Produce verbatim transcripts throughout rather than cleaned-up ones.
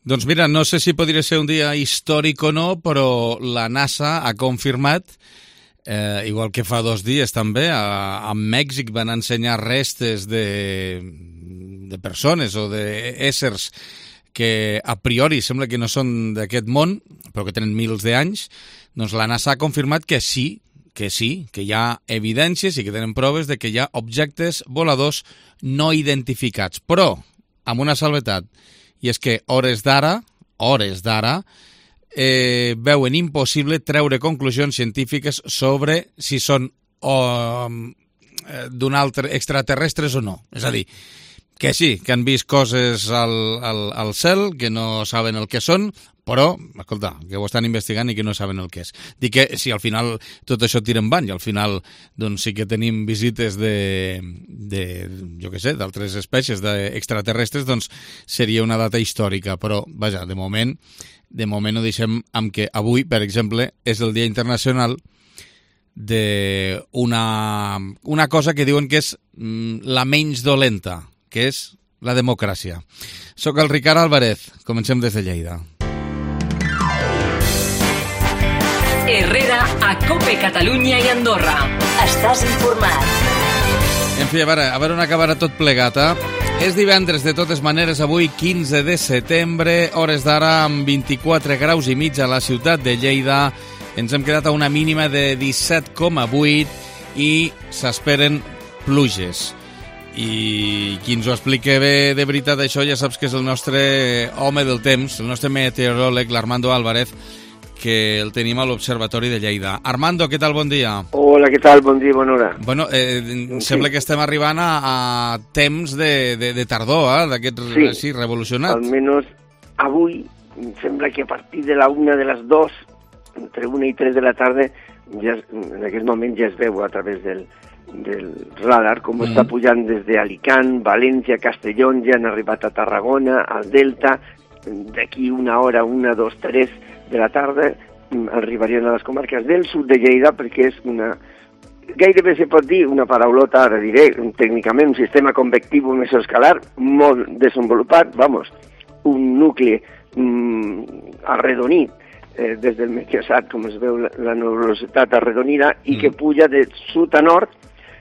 Doncs mira, no sé si podria ser un dia històric o no, però la NASA ha confirmat, eh, igual que fa dos dies també, a, a Mèxic van ensenyar restes de, de persones o d'éssers que a priori sembla que no són d'aquest món, però que tenen mils d'anys. Doncs la NASA ha confirmat que sí, que sí, que hi ha evidències i que tenen proves de que hi ha objectes voladors no identificats, però amb una salvetat, i és que hores d'ara, hores d'ara, eh, veuen impossible treure conclusions científiques sobre si són o, d'un altre extraterrestres o no. És a dir, que sí, que han vist coses al, al, al cel, que no saben el que són, però, escolta, que ho estan investigant i que no saben el que és. Dic que si al final tot això tira en van i al final doncs sí que tenim visites de, de jo què sé, d'altres espècies d'extraterrestres, doncs seria una data històrica. Però, vaja, de moment, de moment ho deixem amb que avui, per exemple, és el Dia Internacional d'una una cosa que diuen que és la menys dolenta, que és la democràcia. Soc el Ricard Álvarez, comencem des de Lleida. Herrera a COPE Catalunya i Andorra. Estàs informat. En fi, a veure, a veure on acabarà tot plegat, eh? És divendres, de totes maneres, avui quinze de setembre, hores d'ara amb vint-i-quatre graus i mig a la ciutat de Lleida. Ens hem quedat a una mínima de disset coma vuit i s'esperen pluges. I qui ens ho explica bé de veritat això ja saps que és el nostre home del temps, el nostre meteoròleg, l'Armando Álvarez, que el tenim a l'Observatori de Lleida. Armando, què tal? Bon dia. Hola, què tal? Bon dia, bona hora. Bueno, eh, sí. Sembla que estem arribant a, a temps de, de, de tardor, eh, d'aquest sí, sí, revolucionat. Almenys avui, sembla que a partir de la una de les dos, entre una i tres de la tarda, ja, en aquest moment ja es veu a través del, del radar com mm. està pujant des d'Alicant, València, Castelló, ja han arribat a Tarragona, al Delta, d'aquí una hora, una, dos, tres de la tarda, arribarien a les comarques del sud de Lleida, perquè és una, gairebé se pot dir una paraulota, ara diré, tècnicament un sistema convectiu mesoescalar molt desenvolupat, vamos, un nucli mm, arredonit, eh, des del meteosat, com es veu la, la nebulositat arredonida, i mm. que puja de sud a nord,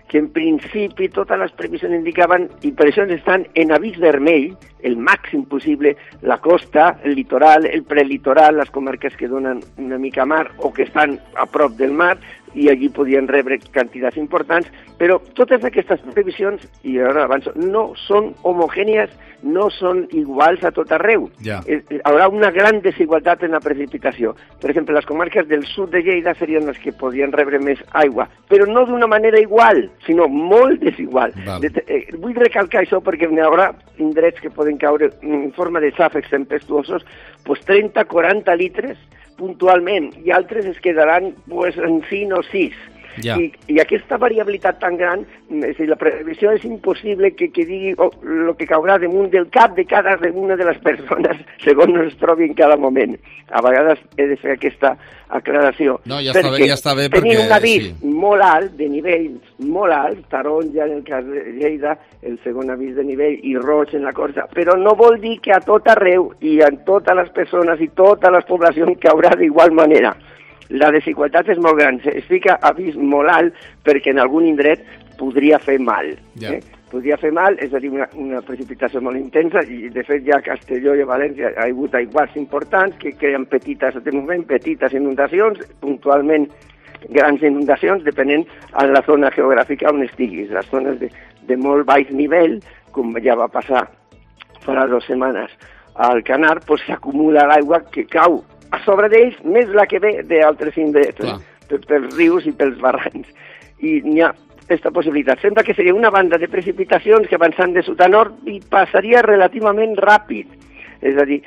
que en principi totes les previsions indicaven, i per això estan en avís vermell, el màxim possible, la costa, el litoral, el prelitoral, les comarques que donen una mica mar o que estan a prop del mar, i allí podien rebre quantitats importants, però totes aquestes previsions, i ara avanço, no són homogènies, no són iguals a tot arreu. Ja. Hi haurà una gran desigualtat en la precipitació. Per exemple, les comarques del sud de Lleida serien les que podien rebre més aigua, però no d'una manera igual, sinó molt desigual. De, eh, vull recalcar això perquè hi haurà indrets que poden caure en forma de xàfecs tempestuosos, pues trenta a quaranta litres puntualment, i altres es quedaran pues, en cinc o sis. Ja. I, I aquesta variabilitat tan gran, és dir, la previsió és impossible que, que digui el oh, que caurà damunt del cap de cada una de les persones segons es trobi en cada moment. A vegades he de fer aquesta aclaració. No, ja està bé, ja està bé perquè... Tenim un avís sí. molt alt, de nivells molt alts, taronja en el cas de Lleida, el segon avís de nivell, i roig en la Corsa, però no vol dir que a tot arreu i en totes les persones i totes les poblacions caurà d'igual manera. La desigualtat és molt gran, es fica avís molt alt perquè en algun indret podria fer mal. Ja. Eh? Podria fer mal, és a dir, una, una precipitació molt intensa, i de fet ja a Castelló i a València hi ha hagut aiguats importants que creen petites, de moment, petites inundacions, puntualment grans inundacions, depenent de la zona geogràfica on estiguis. Les zones de, de molt baix nivell, com ja va passar fa dues setmanes al Canar, doncs s'acumula l'aigua que cau a sobre d'ells, més la que ve d'altres indrets, eh? pels rius i pels barrancs. I n'hi ha aquesta possibilitat. Sembla que seria una banda de precipitacions que avançant de sud a nord i passaria relativament ràpid. És a dir,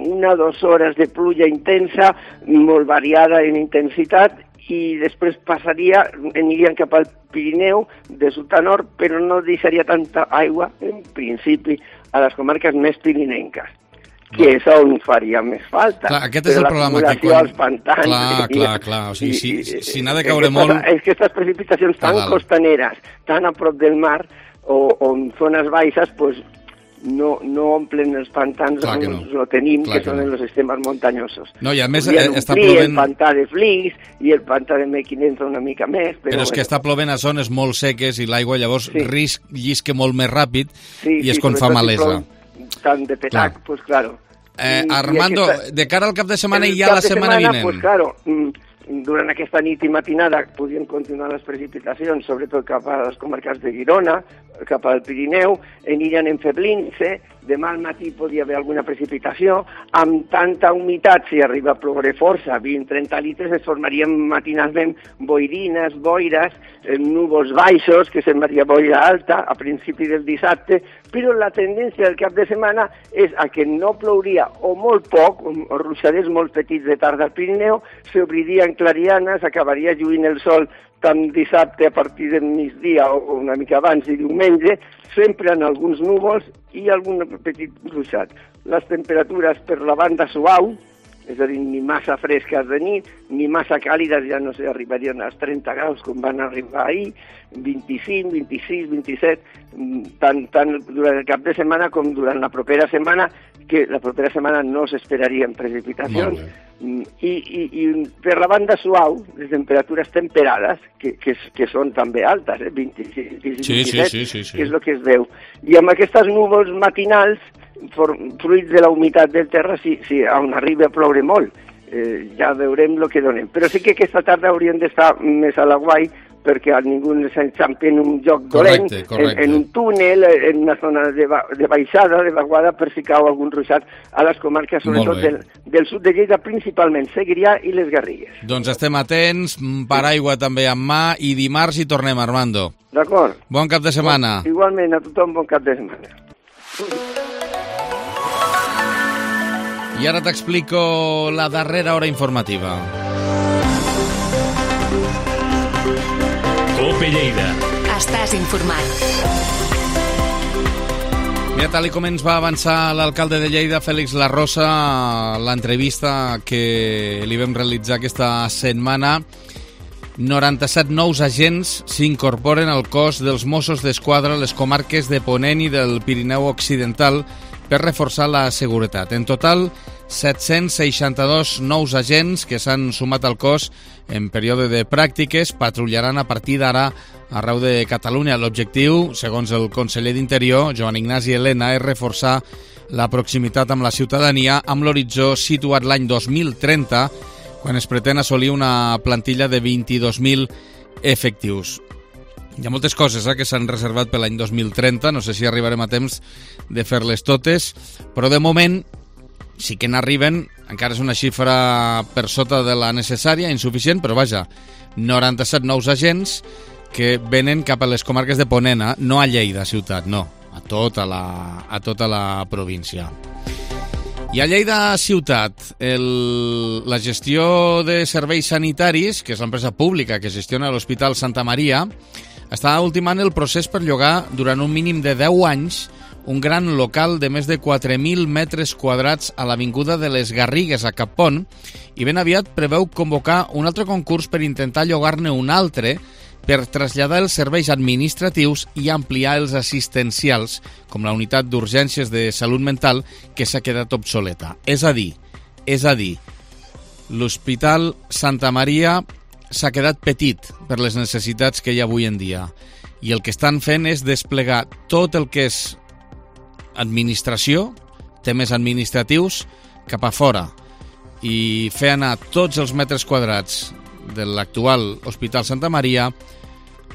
una o dues hores de pluja intensa, molt variada en intensitat, i després passaria, anirien cap al Pirineu de sud a nord, però no deixaria tanta aigua, en principi, a les comarques més pirinenques. Que no. És on faria més falta. Clar, aquest és el problema. Que quan... als pantans... Clar, i, clar, clar. O sigui, i, si, si n'ha de caure molt... És que aquestes precipitacions tan costaneres, tan a prop del mar, o, o en zones baixes, pues, no, no omplen els pantans Clar on no. lo tenim, Clar que, que són no. en els sistemes muntanyosos. No, i a més Podrien eh, està omplir plovent... el pantà de Flix i el pantà de Mequinenza una mica més, però, Però és que bueno. està plovent a zones molt seques i l'aigua llavors Sí. risc, llisque molt més ràpid sí, i és sí, quan fa sobretot si malesa. plou tant de petac, Clar. pues claro. Eh, I- i Armando, aquesta- de cara al cap de setmana el i ja cap la de setmana vinent. Pues claro, durant aquesta nit i matinada podien continuar les precipitacions, sobretot cap a les comarques de Girona, cap al Pirineu, aniran enfeblint-se, demà al matí podria haver alguna precipitació, amb tanta humitat, si arriba a ploure força, vint a trenta litres, es formarien matinalment boirines, boires, eh, núvols baixos, que semblaria boira alta a principi del dissabte, però la tendència del cap de setmana és a que no plouria o molt poc, o, o ruixaders molt petits de tarda al Pirineu, s'obririen clarianes, acabaria lluint el sol tant dissabte a partir del migdia o una mica abans i diumenge, sempre en alguns núvols i algun petit ruixat. Les temperatures per la banda suau, és a dir, ni massa fresques de nit, ni massa càlides, ja no sé, arribarien als trenta graus com van arribar ahir, vint-i-cinc, vint-i-sis, vint-i-set, tant, tant durant el cap de setmana com durant la propera setmana, que la propera setmana no s'esperarien precipitacions. I, i, I per la banda suau, les temperatures temperades, que, que, que són també altes, eh? vint-i-sis, vint-i-set, Sí, sí, sí, sí, sí. que és el que es veu. I amb aquestes núvols matinals, for, fruit de la humitat del terra, si, si on arriba a ploure molt, eh, ja veurem el que donem. Però sí que aquesta tarda haurien d'estar més a la guai, perquè a ningú s'enxampi en un lloc dolent, Correcte, correcte. En, en un túnel, en una zona de, ba de baixada, de vaguada, per si cau algun ruixat a les comarques, sobretot del, del sud de Lleida, principalment Segrià i les Garrigues. Doncs estem atents, paraigua també en mà, i dimarts hi tornem, Armando. D'acord? Bon cap de setmana. Bon, igualment, a tothom bon cap de setmana. I ara t'explico la darrera hora informativa. Cope Lleida. Estàs informat. Mira, tal com ens va avançar l'alcalde de Lleida, Fèlix Larrosa, l'entrevista que li vam realitzar aquesta setmana, noranta-set nous agents s'incorporen al cos dels Mossos d'Esquadra a les comarques de Ponent i del Pirineu Occidental per reforçar la seguretat. En total, set-cents seixanta-dos nous agents que s'han sumat al cos en període de pràctiques patrullaran a partir d'ara arreu de Catalunya. L'objectiu, segons el conseller d'Interior, Joan Ignasi Elena, és reforçar la proximitat amb la ciutadania amb l'horitzó situat l'any dos mil trenta, quan es pretén assolir una plantilla de vint-i-dos mil efectius. Hi ha moltes coses eh, que s'han reservat per l'any dos mil trenta, no sé si arribarem a temps de fer-les totes, però de moment sí que n'arriben, encara és una xifra per sota de la necessària, insuficient, però vaja, noranta-set nous agents que venen cap a les comarques de Ponent, no a Lleida ciutat, no, a tota la, a tota la província. I a Lleida ciutat, el, la gestió de serveis sanitaris, que és l'empresa pública que gestiona l'Hospital Santa Maria, està ultimant el procés per llogar durant un mínim de deu anys un gran local de més de quatre mil metres quadrats a l'Avinguda de les Garrigues, a Cappont, i ben aviat preveu convocar un altre concurs per intentar llogar-ne un altre per traslladar els serveis administratius i ampliar els assistencials, com la unitat d'urgències de salut mental, que s'ha quedat obsoleta. És a dir, és a dir, l'Hospital Santa Maria s'ha quedat petit per les necessitats que hi ha avui en dia. I el que estan fent és desplegar tot el que és administració, temes administratius, cap a fora i fer anar tots els metres quadrats de l'actual Hospital Santa Maria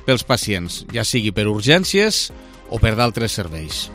pels pacients, ja sigui per urgències o per d'altres serveis.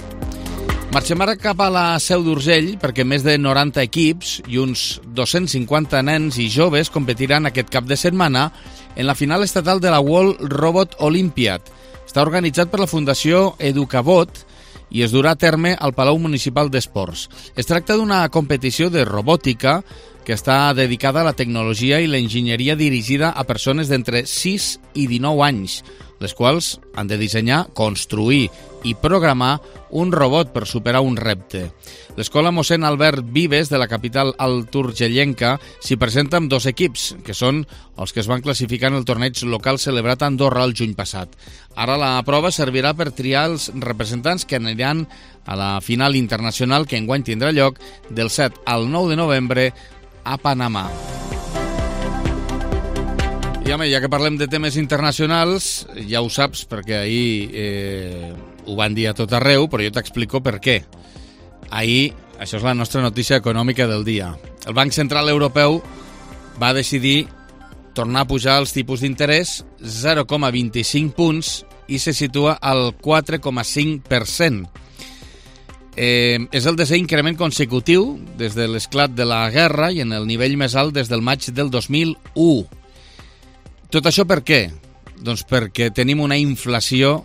Marxem ara cap a la Seu d'Urgell perquè més de noranta equips i uns dos-cents cinquanta nens i joves competiran aquest cap de setmana en la final estatal de la World Robot Olympiad. Està organitzat per la Fundació Educabot i es durà a terme al Palau Municipal d'Esports. Es tracta d'una competició de robòtica que està dedicada a la tecnologia i l'enginyeria dirigida a persones d'entre sis i dinou anys, les quals han de dissenyar, construir i programar un robot per superar un repte. L'escola mossèn Albert Vives de la capital alturgellenca s'hi presenta amb dos equips, que són els que es van classificar en el torneig local celebrat a Andorra el juny passat. Ara la prova servirà per triar els representants que aniran a la final internacional que enguany tindrà lloc del set al nou de novembre a Panamà. I home, ja que parlem de temes internacionals, ja ho saps, perquè ahir eh, ho van dir a tot arreu, però jo t'explico per què. Ahir, això és la nostra notícia econòmica del dia. El Banc Central Europeu va decidir tornar a pujar els tipus d'interès zero coma vint-i-cinc punts i se situa al quatre coma cinc per cent. Eh, és el desè increment consecutiu des de l'esclat de la guerra i en el nivell més alt des del maig del dos mil u. Tot això per què? Doncs perquè tenim una inflació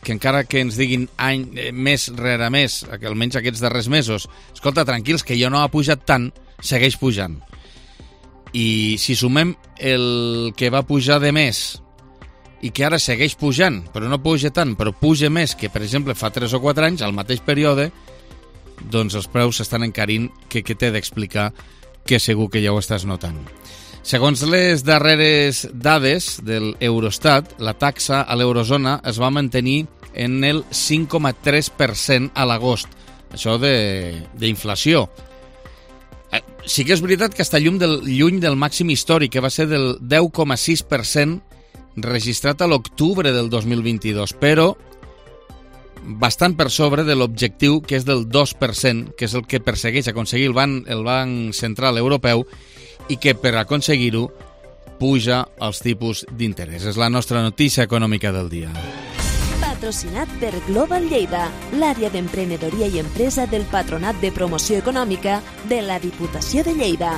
que encara que ens diguin any, mes rere mes, que almenys aquests darrers mesos, escolta, tranquils, que ja no ha pujat tant, segueix pujant. I si sumem el que va pujar de més i que ara segueix pujant, però no puja tant, però puja més que, per exemple, fa tres o quatre anys, al mateix període, doncs els preus s'estan encarint, que, que t'he d'explicar, que segur que ja ho estàs notant. Segons les darreres dades del Eurostat, la taxa a l'eurozona es va mantenir en el cinc coma tres per cent a l'agost. Això d'inflació. Sí que és veritat que està lluny del, lluny del màxim històric, que va ser del deu coma sis per cent registrat a l'octubre del dos mil vint-i-dos, però bastant per sobre de l'objectiu, que és del dos per cent, que és el que persegueix aconseguir el Banc, el Banc Central Europeu, i que per aconseguir-ho puja els tipus d'interès. És la nostra notícia econòmica del dia. Patrocinat per Global Lleida, l'àrea d'emprenedoria i empresa del Patronat de Promoció Econòmica de la Diputació de Lleida.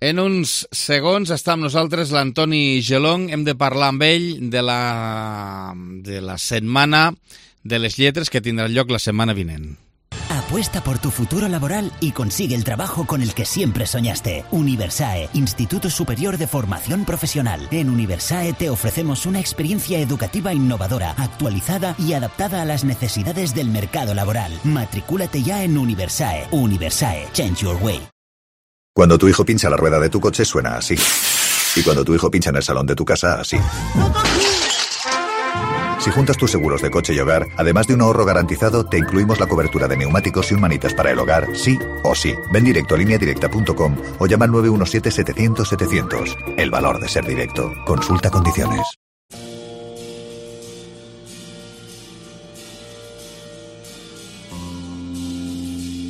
En uns segons està amb nosaltres l'Antoni Gelong. Hem de parlar amb ell de la, de la Setmana de les Lletres que tindrà lloc la setmana vinent. Apuesta por tu futuro laboral y consigue el trabajo con el que siempre soñaste. Universae, Instituto Superior de Formación Profesional. En Universae te ofrecemos una experiencia educativa innovadora, actualizada y adaptada a las necesidades del mercado laboral. Matricúlate ya en Universae. Universae, change your way. Cuando tu hijo pincha la rueda de tu coche suena así. Y cuando tu hijo pincha en el salón de tu casa, así. Si juntas tus seguros de coche y hogar, además de un ahorro garantizado, te incluimos la cobertura de neumáticos y un manitas para el hogar, sí o sí. Ven directo a línea directa punto com o llama al nueve uno siete setecientos setecientos. El valor de ser directo. Consulta condiciones.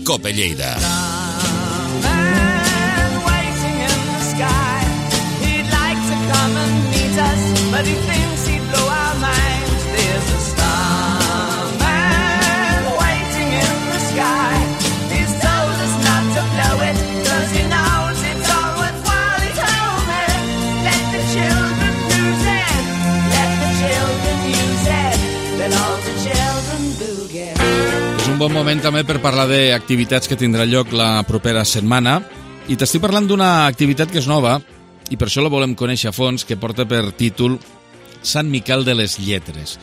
Cope Lleida. Un bon moment també per parlar d'activitats que tindrà lloc la propera setmana, i t'estic parlant d'una activitat que és nova i per això la volem conèixer a fons, que porta per títol Sant Miquel de les Lletres.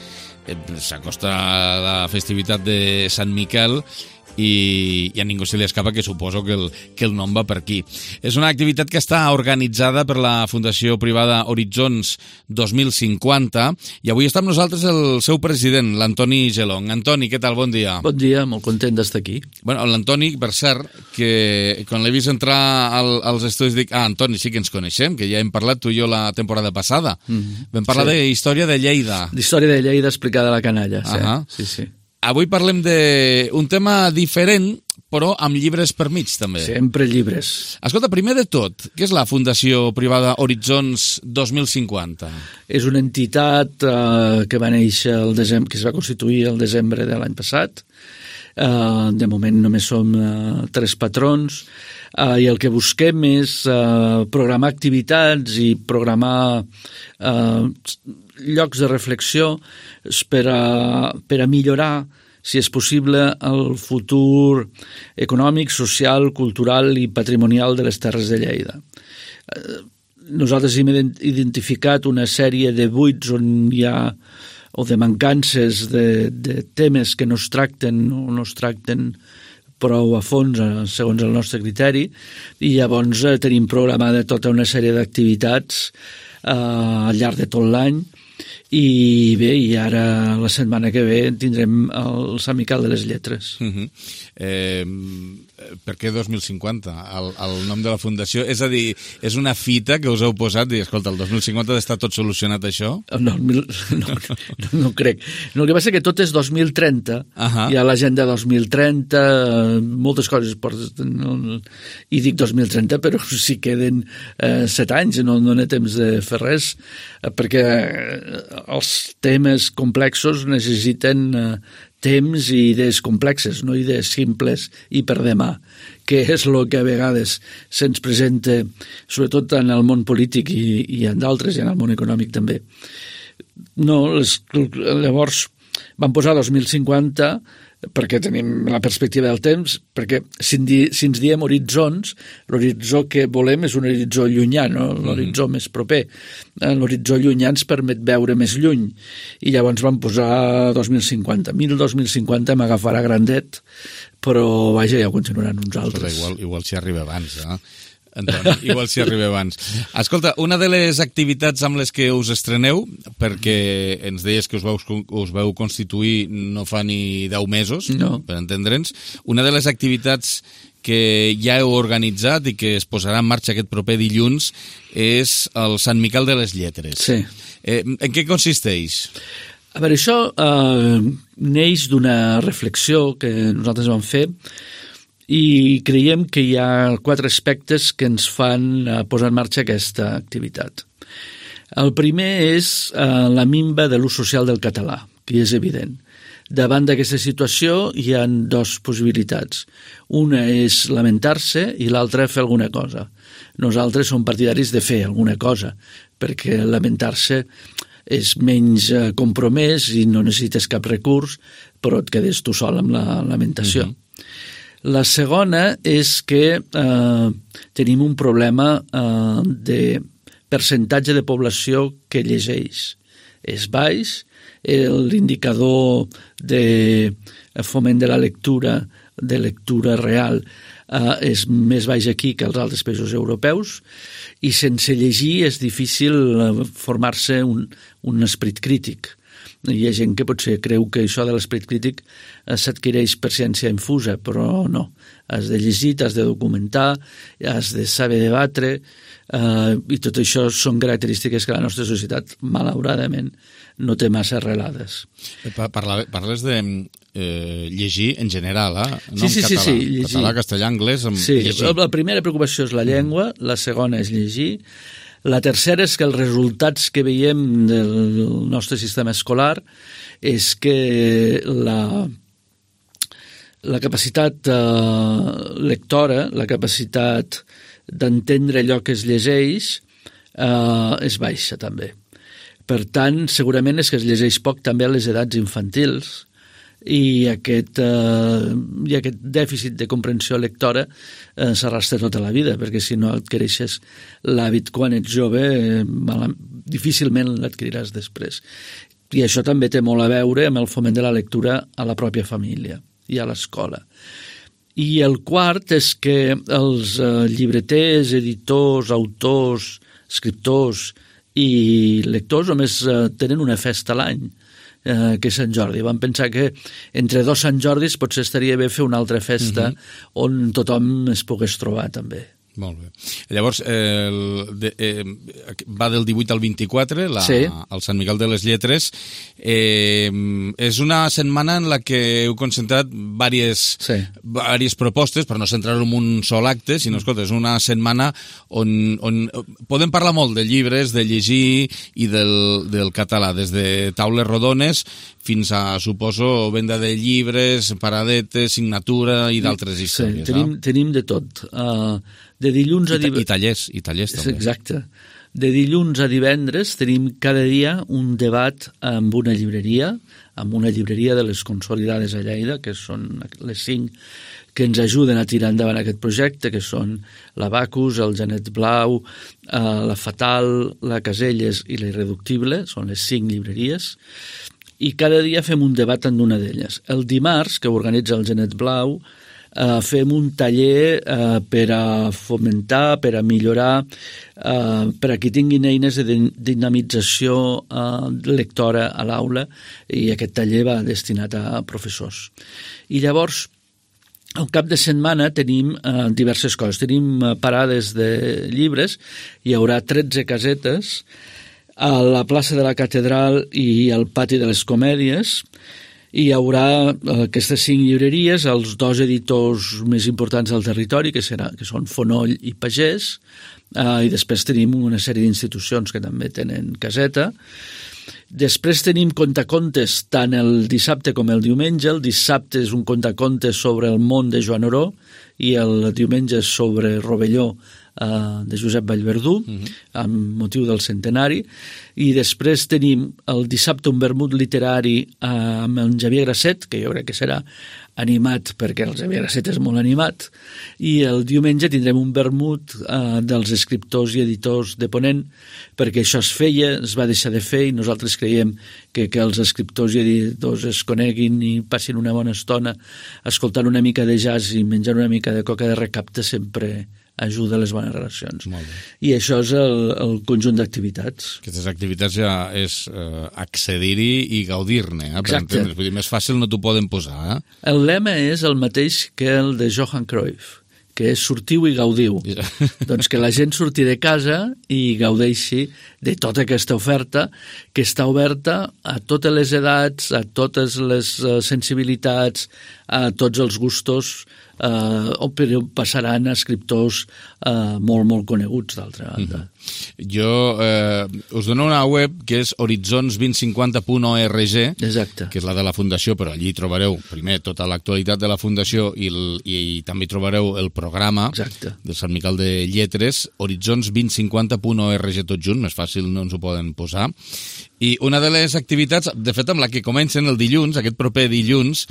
S'acosta la festivitat de Sant Miquel i, i a ningú se li escapa que suposo que el, que el nom va per aquí. És una activitat que està organitzada per la Fundació Privada Horitzons dos mil cinquanta i avui està amb nosaltres el seu president, l'Antoni Gelong. Antoni, què tal? Bon dia. Bon dia, molt content d'estar aquí. Bueno, l'Antoni, per cert, que quan l'he vist entrar al, als estudis dic, ah, Antoni, sí que ens coneixem, que ja hem parlat tu i jo la temporada passada. Mm-hmm. Vam parlar sí. d'història de Lleida. D'història de Lleida explicada a la canalla, sí. Uh-huh. sí, sí. Avui parlem d'un tema diferent, però amb llibres per mig, també. Sempre llibres. Escolta, primer de tot, què és la Fundació Privada Horitzons dos mil cinquanta? És una entitat eh, que va néixer el desembre, que es va constituir el desembre de l'any passat. Eh, de moment només som eh, tres patrons eh, i el que busquem és eh, programar activitats i programar eh, llocs de reflexió per a, per a millorar si és possible, el futur econòmic, social, cultural i patrimonial de les Terres de Lleida. Nosaltres hem identificat una sèrie de buits on hi ha o de mancances de, de temes que no es tracten o no es tracten prou a fons segons el nostre criteri, i llavors eh, tenim programada tota una sèrie d'activitats eh, al llarg de tot l'any. I bé, i ara la setmana que ve tindrem el Sant Miquel de les Lletres. Uh-huh. eh, per què dos mil cinquanta? El, el nom de la fundació, és a dir, és una fita que us heu posat i, escolta, el dos mil cinquanta ha d'estar tot solucionat, això? No, no, no, no, no crec. No, el que passa és que tot és dos mil trenta, uh-huh. Hi ha l'agenda dos mil trenta, moltes coses porten, no, i dic dos mil trenta, però si queden eh, set anys, no, no n'hi ha temps de fer res, eh, perquè els temes complexos necessiten eh, temps i idees complexes, no idees simples i per demà, que és el que a vegades se'ns presenta, sobretot en el món polític i, i en d'altres, i en el món econòmic també. No, les, llavors vam posar dos mil cinquanta perquè tenim la perspectiva del temps, perquè si, di, si ens diem horitzons, l'horitzó que volem és un horitzó llunyà, no? L'horitzó mm. més proper. L'horitzó llunyà ens permet veure més lluny, i llavors vam posar dos mil cinquanta. Mil dos mil cinquanta m'agafarà grandet, però vaja, ja ho continuaran uns altres. Però igual, igual s'hi arriba abans, eh? Antoni, igual s'hi arriba abans. Escolta, una de les activitats amb les que us estreneu, perquè ens deies que us veu, us veu constituir no fa ni deu mesos, no. Per entendre'ns, una de les activitats que ja heu organitzat i que es posarà en marxa aquest proper dilluns és el Sant Miquel de les Lletres. Sí. Eh, en què consisteix? A veure, això eh, neix d'una reflexió que nosaltres vam fer, i creiem que hi ha quatre aspectes que ens fan posar en marxa aquesta activitat. El primer és eh, la minva de l'ús social del català, que és evident. Davant d'aquesta situació hi ha dues possibilitats. Una és lamentar-se i l'altra fer alguna cosa. Nosaltres som partidaris de fer alguna cosa, perquè lamentar-se és menys compromès i no necessites cap recurs, però et quedes tu sol amb la lamentació. Mm-hmm. La segona és que eh, tenim un problema eh, de percentatge de població que llegeix. És baix, l'indicador de foment de la lectura, de lectura real, eh, és més baix aquí que als altres països europeus, i sense llegir és difícil formar-se un, un esperit crític. Hi ha gent que potser creu que això de l'esperit crític s'adquireix per ciència infusa, però no. Has de llegir, has de documentar, has de saber debatre, eh, i tot això són característiques que la nostra societat, malauradament, no té massa arrelades. Parles de eh, llegir en general, eh? No sí, sí, en català. Sí, sí, llegir. Català, castellà, anglès, amb sí, llegir. La primera preocupació és la llengua, mm. la segona és llegir. La tercera és que els resultats que veiem del nostre sistema escolar és que la, la capacitat eh, lectora, la capacitat d'entendre allò que es llegeix eh, és baixa també. Per tant, segurament és que es llegeix poc també a les edats infantils, i aquest, eh, i aquest dèficit de comprensió lectora eh, s'arrastra tota la vida, perquè si no adquireixes l'hàbit quan ets jove, eh, mal, difícilment l'adquiriràs després. I això també té molt a veure amb el foment de la lectura a la pròpia família i a l'escola. I el quart és que els eh, llibreters, editors, autors, escriptors i lectors només eh, tenen una festa a l'any, eh, que és Sant Jordi. Vam pensar que entre dos Sant Jordis potser estaria bé fer una altra festa mm-hmm. on tothom es pogués trobar també. Molt bé. Llavors, eh, el, de, eh, va del divuit al vint-i-quatre, la, sí. el Sant Miquel de les Lletres. Eh, és una setmana en la que heu concentrat diverses, sí. diverses propostes, per no centrar-ho en un sol acte, sinó, escolta, és una setmana on, on podem parlar molt de llibres, de llegir i del, del català, des de taules rodones fins a, suposo, venda de llibres, paradetes, signatura i d'altres històries. Sí, tenim, eh? tenim de tot. Uh, de dilluns a... I, I tallers, i tallers també. Exacte. De dilluns a divendres tenim cada dia un debat amb una llibreria, amb una llibreria de les consolidades a Lleida, que són les cinc que ens ajuden a tirar endavant aquest projecte, que són l'Abacus, el Genet Blau, eh, la Fatal, la Caselles i la Irreductible, són les cinc llibreries, i cada dia fem un debat en una d'elles. El dimarts, que organitza el Genet Blau, eh, fem un taller eh, per a fomentar, per a millorar, eh, per a qui tinguin eines de dinamització eh, lectora a l'aula, i aquest taller va destinat a professors. I llavors, al cap de setmana tenim eh, diverses coses. Tenim eh, parades de llibres, hi haurà tretze casetes a la plaça de la Catedral i al pati de les Comèdies. Hi haurà eh, aquestes cinc llibreries, els dos editors més importants del territori, que, serà, que són Fonoll i Pagès, eh, i després tenim una sèrie d'institucions que també tenen caseta. Després tenim contacontes tant el dissabte com el diumenge. El dissabte és un contacontes sobre el món de Joan Oró i el diumenge és sobre Rovelló eh, de Josep Vallverdú, uh-huh. amb motiu del centenari. I després tenim el dissabte un vermut literari eh, amb el Xavier Grasset, que jo crec que serà animat perquè el Xavier Grasset és molt animat, i el diumenge tindrem un vermut eh, dels escriptors i editors de Ponent, perquè això es feia, es va deixar de fer, i nosaltres creiem que, que els escriptors i editors es coneguin i passin una bona estona escoltant una mica de jazz i menjant una mica de coca de recapte sempre ajuda a les bones relacions. I això és el, el conjunt d'activitats. Aquestes activitats ja és eh, accedir-hi i gaudir-ne. Eh, Exacte. Vull dir, més fàcil no t'ho poden posar. Eh? El lema és el mateix que el de Johan Cruyff, que és sortiu i gaudiu. Ja. Doncs que la gent surti de casa i gaudeixi de tota aquesta oferta, que està oberta a totes les edats, a totes les uh, sensibilitats, a tots els gustos, eh, o passaran a escriptors eh, molt, molt coneguts, d'altra banda. Mm-hmm. Jo eh, us dono una web que és horitzons dos mil cinquanta punt org, Exacte. Que és la de la Fundació, però allí trobareu primer tota l'actualitat de la Fundació i, el, i, i també trobareu el programa Exacte. del Sant Miquel de Lletres, horitzons dos mil cinquanta punt org tot junt, més fàcil no ens ho poden posar. I una de les activitats, de fet amb la que comencen el dilluns, aquest proper dilluns,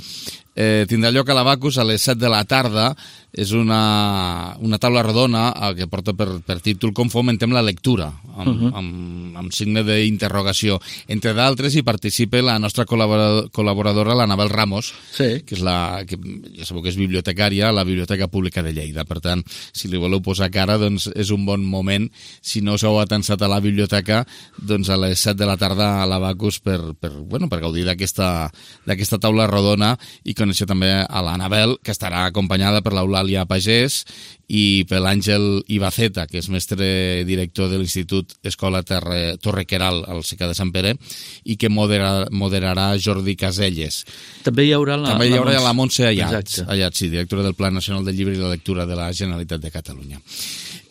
eh, tindrà lloc a l'Abacus a les set de la tarda. És una, una taula rodona que porta per, per títol Com fomentem la lectura, amb, uh-huh. amb, amb signe d'interrogació. Entre d'altres hi participa la nostra col·laborador, col·laboradora, l'Anabel Ramos, sí. que és la, que ja sabeu que és bibliotecària a la Biblioteca Pública de Lleida. Per tant, si li voleu posar cara, doncs és un bon moment. Si no s'heu atansat a la biblioteca, doncs a les set de la tarda a l'Abacus per, per, bueno, per gaudir d'aquesta d'aquesta taula rodona i conèixer també a l'Anabel, que estarà acompanyada per l'Eulàlia Pagès i per l'Àngel Ibaceta, que és mestre director de l'Institut Escola Terre, Torrequeral al Secà de Sant Pere i que moderarà, moderarà Jordi Caselles. També hi haurà la, també hi haurà la, la Montse Ayat, Exacte. Ayat, sí, directora del Pla Nacional del Llibre i la Lectura de la Generalitat de Catalunya.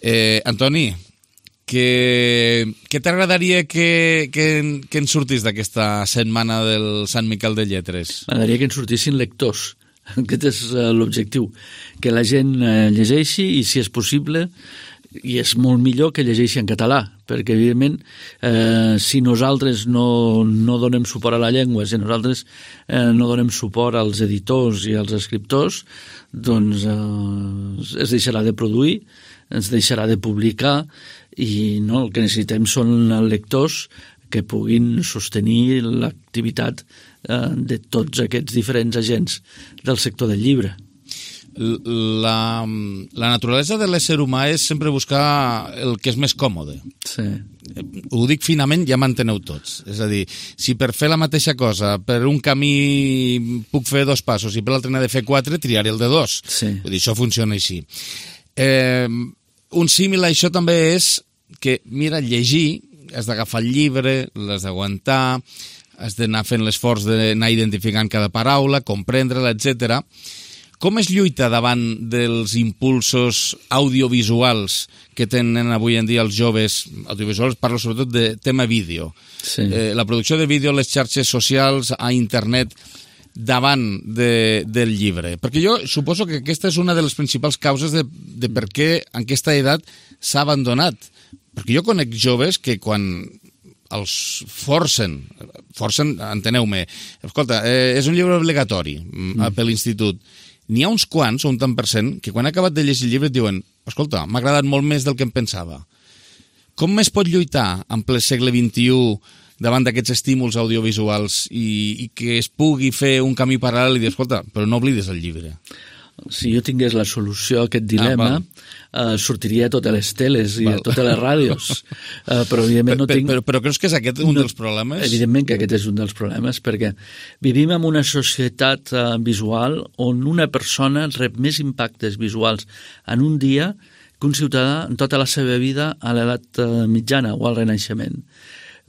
Eh, Antoni, que, que t'agradaria que, que, que en sortís d'aquesta setmana del Sant Miquel de Lletres? M'agradaria que en sortissin lectors. Aquest és uh, l'objectiu, que la gent uh, llegeixi i, si és possible, i és molt millor que llegeixi en català, perquè, evidentment, eh, si nosaltres no, no donem suport a la llengua, si nosaltres eh, no donem suport als editors i als escriptors, doncs eh, es deixarà de produir, ens deixarà de publicar, i no, el que necessitem són lectors que puguin sostenir l'activitat eh, de tots aquests diferents agents del sector del llibre. La, la naturalesa de l'ésser humà és sempre buscar el que és més còmode. Sí. Ho dic finament, ja m'enteneu tots. És a dir, si per fer la mateixa cosa per un camí puc fer dos passos i per l'altre n'he de fer quatre, triaré el de dos. Sí. Vull dir, això funciona així. Eh, un símil a això també és que, mira, llegir, has d'agafar el llibre, l'has d'aguantar, has d'anar fent l'esforç d'anar identificant cada paraula, comprendre-la, etcètera. Com es lluita davant dels impulsos audiovisuals que tenen avui en dia els joves? Audiovisuals, parlo sobretot de tema vídeo. Sí. Eh, la producció de vídeo a les xarxes socials, a internet, davant de, del llibre. Perquè jo suposo que aquesta és una de les principals causes de, de per què en aquesta edat s'ha abandonat. perquè jo conec joves que quan els forcen, forcen, enteneu-me, escolta, eh, és un llibre obligatori mm. per l'institut, n'hi ha uns quants, un tant per cent, que quan ha acabat de llegir el llibre et diuen, escolta, m'ha agradat molt més del que em pensava. Com es pot lluitar en ple segle vint-i-u davant d'aquests estímuls audiovisuals i, i que es pugui fer un camí paral·lel i dir, escolta, però no oblides el llibre? Si jo tingués la solució a aquest dilema, ah, uh, sortiria a totes les teles i val. A totes les ràdios. Uh, però, evidentment, no però, tinc... Però, però creus que és aquest un no, dels problemes? Evidentment que aquest és un dels problemes, perquè vivim en una societat uh, visual on una persona rep més impactes visuals en un dia que un ciutadà en tota la seva vida a l'edat uh, mitjana o al Renaixement.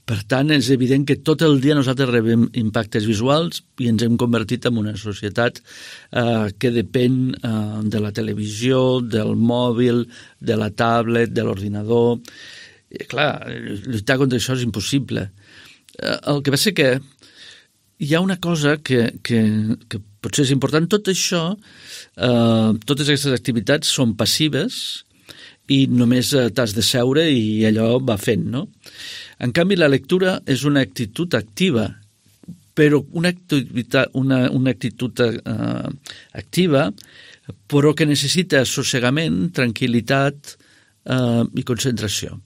Per tant, és evident que tot el dia nosaltres rebem impactes visuals i ens hem convertit en una societat eh, que depèn eh, de la televisió, del mòbil, de la tablet, de l'ordinador. I, clar, lluitar contra això és impossible. Eh, el que passa que hi ha una cosa que, que, que potser és important. Tot això, eh, totes aquestes activitats són passives i només t'has de seure i allò va fent, no? En canvi, la lectura és una actitud activa, però una activitat, una, una actitud uh, activa, però que necessita assossegament, tranquil·litat uh, i concentració.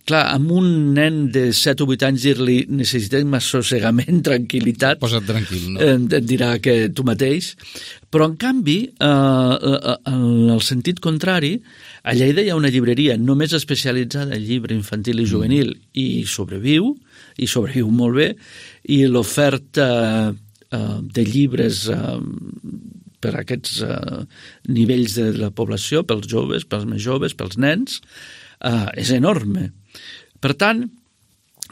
Clar, amb un nen de set o vuit anys dir-li necessitem assossegament, tranquil·litat, posa't tranquil, no? Et dirà que tu mateix, però en canvi, eh, en el sentit contrari, a Lleida hi ha una llibreria només especialitzada en llibre infantil i juvenil mm. i sobreviu, i sobreviu molt bé, i l'oferta eh, de llibres eh, per a aquests eh, nivells de la població, pels joves, pels més joves, pels nens, eh, és enorme. Per tant,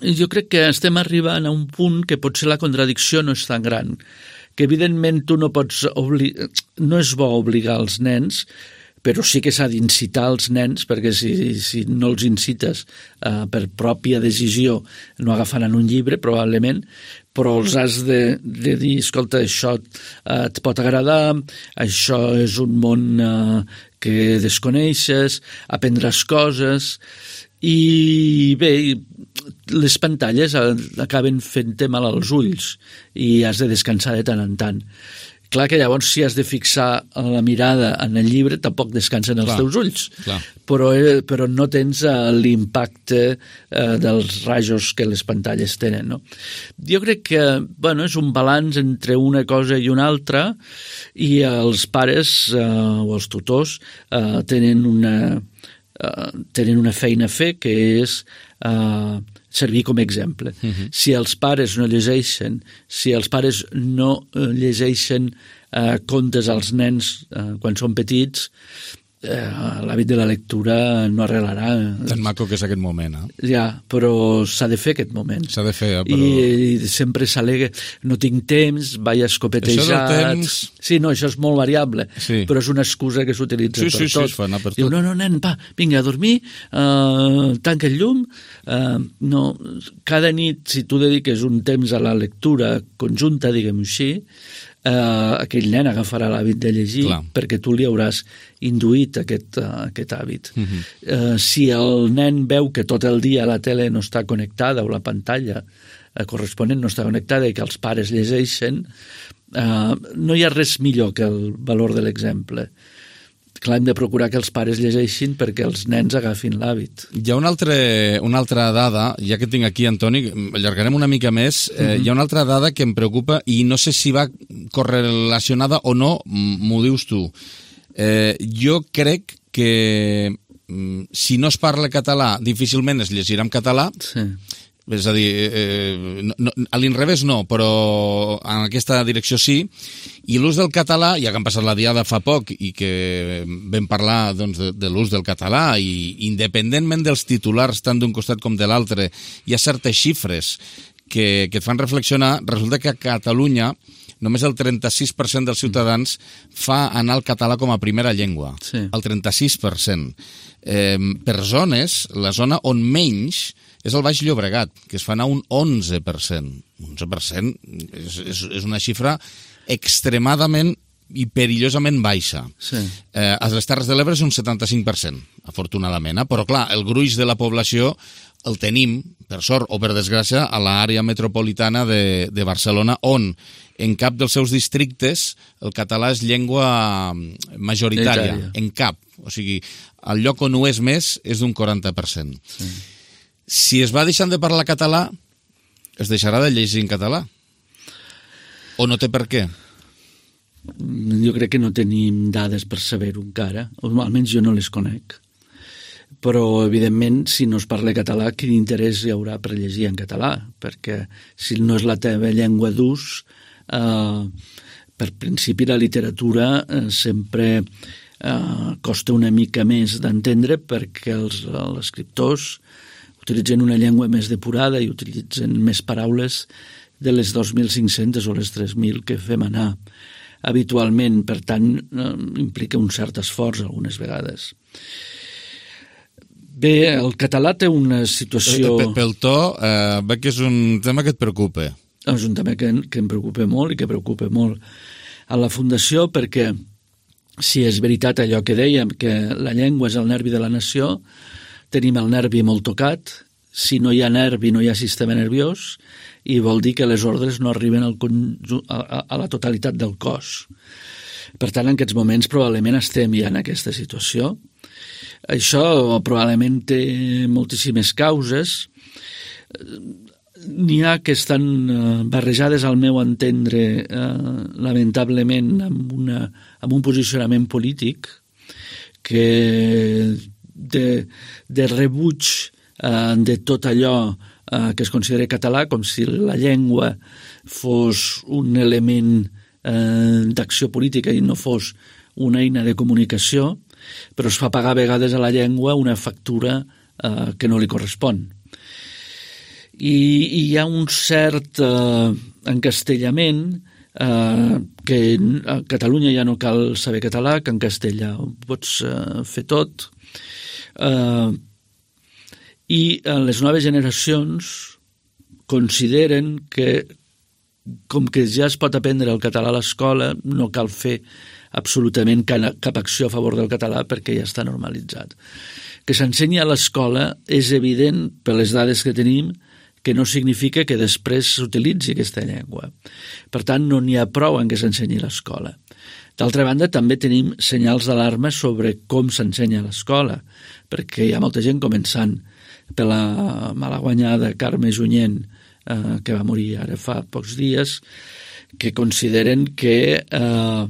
jo crec que estem arribant a un punt que potser la contradicció no és tan gran, que evidentment tu no pots obligar, no és bo obligar els nens, però sí que s'ha d'incitar els nens, perquè si, si no els incites eh, per pròpia decisió no agafaran un llibre, probablement, però els has de, de dir, escolta, això eh, et pot agradar, això és un món eh, que desconeixes, aprendràs coses, i bé, les pantalles acaben fent-te mal als ulls i has de descansar de tant en tant. Clar que llavors si has de fixar la mirada en el llibre tampoc descansen els clar, teus ulls, clar. Però, però no tens l'impacte eh, dels rajos que les pantalles tenen, no? Jo crec que bueno, és un balanç entre una cosa i una altra i els pares eh, o els tutors eh, tenen una... Uh, tenen una feina a fer que és uh, servir com a exemple. Uh-huh. Si els pares no llegeixen, si els pares no uh, llegeixen uh, contes als nens uh, quan són petits, uh, l'hàbit de la lectura no arreglarà. Tan maco que és aquest moment, eh? Ja, però s'ha de fer aquest moment. S'ha de fer, eh, però... I, i sempre s'al·lega, no tinc temps, vaig escopetejat... Això del temps... Sí, no, això és molt variable, sí. Però és una excusa que s'utilitza sí, per sí, tot. Sí, es fa anar per tot. Diu, no, no, nen, va, vinga a dormir, uh, tanca el llum... Uh, no, cada nit, si tu dediques un temps a la lectura conjunta, diguem-ho així, Uh, aquell nen agafarà l'hàbit de llegir clar. Perquè tu li hauràs induït aquest, uh, aquest hàbit. Uh-huh. Uh, si el nen veu que tot el dia la tele no està connectada o la pantalla uh, corresponent no està connectada i que els pares llegeixen, uh, no hi ha res millor que el valor de l'exemple. Clar, hem de procurar que els pares llegeixin perquè els nens agafin l'hàbit. Hi ha una, altre, una altra dada, ja que tinc aquí, Antoni, allargarem una mica més, eh, uh-huh. hi ha una altra dada que em preocupa i no sé si va correlacionada o no, m'ho dius tu. Eh, jo crec que mm, si no es parla català, difícilment es llegirà en català, sí. És a dir, eh, no, no, a l'inrevés no, però en aquesta direcció sí, i l'ús del català, ja que han passat la diada fa poc i que vam parlar doncs, de, de l'ús del català, i independentment dels titulars tant d'un costat com de l'altre, hi ha certes xifres que, que et fan reflexionar. Resulta que a Catalunya només el trenta-sis per cent dels ciutadans fa anar el català com a primera llengua. Sí. El trenta-sis per cent. Eh, per zones, la zona on menys és el Baix Llobregat, que es fa anar un onze per cent. onze per cent és, és, és una xifra extremadament i perillosament baixa. Sí. Eh, a les Terres de l'Ebre és un setanta-cinc per cent, afortunadament, eh? Però clar, el gruix de la població el tenim, per sort o per desgràcia, a l'àrea metropolitana de, de Barcelona, on en cap dels seus districtes el català és llengua majoritària, Italia. en cap. O sigui, el lloc on ho és més és d'un quaranta per cent. Sí. Si es va deixant de parlar català, es deixarà de llegir en català? O no té per què? Jo crec que no tenim dades per saber-ho encara, o almenys jo no les conec. Però, evidentment, si no es parla català, quin interès hi haurà per llegir en català? Perquè si no és la teva llengua d'ús, eh, per principi la literatura eh, sempre eh, costa una mica més d'entendre perquè els, els escriptors utilitzen una llengua més depurada i utilitzen més paraules de les dos mil cinc-centes o les tres mil que fem anar habitualment. Per tant, eh, implica un cert esforç algunes vegades. Bé, el català té una situació... Pel to, eh, veig que és un tema que et preocupa. És un tema que, que em preocupa molt i que preocupa molt a la Fundació, perquè si és veritat allò que dèiem, que la llengua és el nervi de la nació, tenim el nervi molt tocat. Si no hi ha nervi, no hi ha sistema nerviós, i vol dir que les ordres no arriben al conjunt, a, a la totalitat del cos. Per tant, en aquests moments probablement estem ja en aquesta situació. Això probablement té moltíssimes causes. N'hi ha que estan barrejades, al meu entendre, eh, lamentablement, amb, una, amb un posicionament polític que de, de rebuig eh, de tot allò eh, que es considera català, com si la llengua fos un element eh, d'acció política i no fos una eina de comunicació, però es fa pagar a vegades a la llengua una factura eh, que no li correspon. I, i hi ha un cert eh, encastellament eh, que a Catalunya ja no cal saber català, que en castellà ho pots eh, fer tot. Eh, I eh, les noves generacions consideren que, com que ja es pot aprendre el català a l'escola, no cal fer absolutament cap acció a favor del català perquè ja està normalitzat. Que s'ensenyi a l'escola és evident, per les dades que tenim, que no significa que després s'utilitzi aquesta llengua. Per tant, no n'hi ha prou en què s'ensenyi a l'escola. D'altra banda, també tenim senyals d'alarma sobre com s'ensenya a l'escola, perquè hi ha molta gent començant per la malaguanyada Carme Junyent, eh, que va morir ara fa pocs dies, que consideren que eh,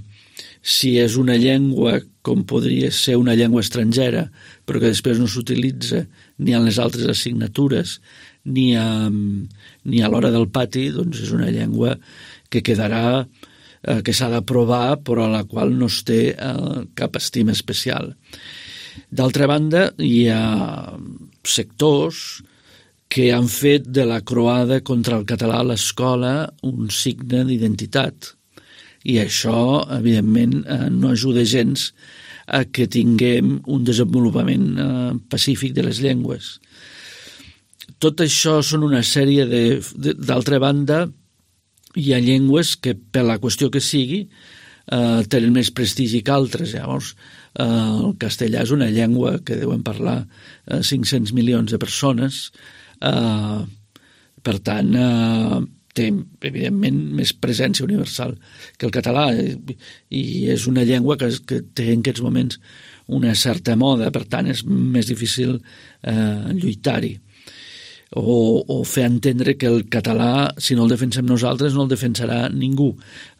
si és una llengua com podria ser una llengua estrangera, però que després no s'utilitza ni en les altres assignatures ni a, ni a l'hora del pati, doncs és una llengua que quedarà, eh, que s'ha d'aprovar, però a la qual no es té eh, cap estima especial. D'altra banda, hi ha sectors que han fet de la croada contra el català a l'escola un signe d'identitat. I això, evidentment, eh, no ajuda gens a que tinguem un desenvolupament eh, pacífic de les llengües. Tot això són una sèrie de... D'altra banda, hi ha llengües que, per la qüestió que sigui, eh, tenen més prestigi que altres. Llavors, eh, el castellà és una llengua que deuen parlar eh, cinc-cents milions de persones. Eh, per tant, eh, té, evidentment, més presència universal que el català, i és una llengua que, que té en aquests moments una certa moda, per tant és més difícil eh, lluitar-hi o, o fer entendre que el català, si no el defensem nosaltres, no el defensarà ningú.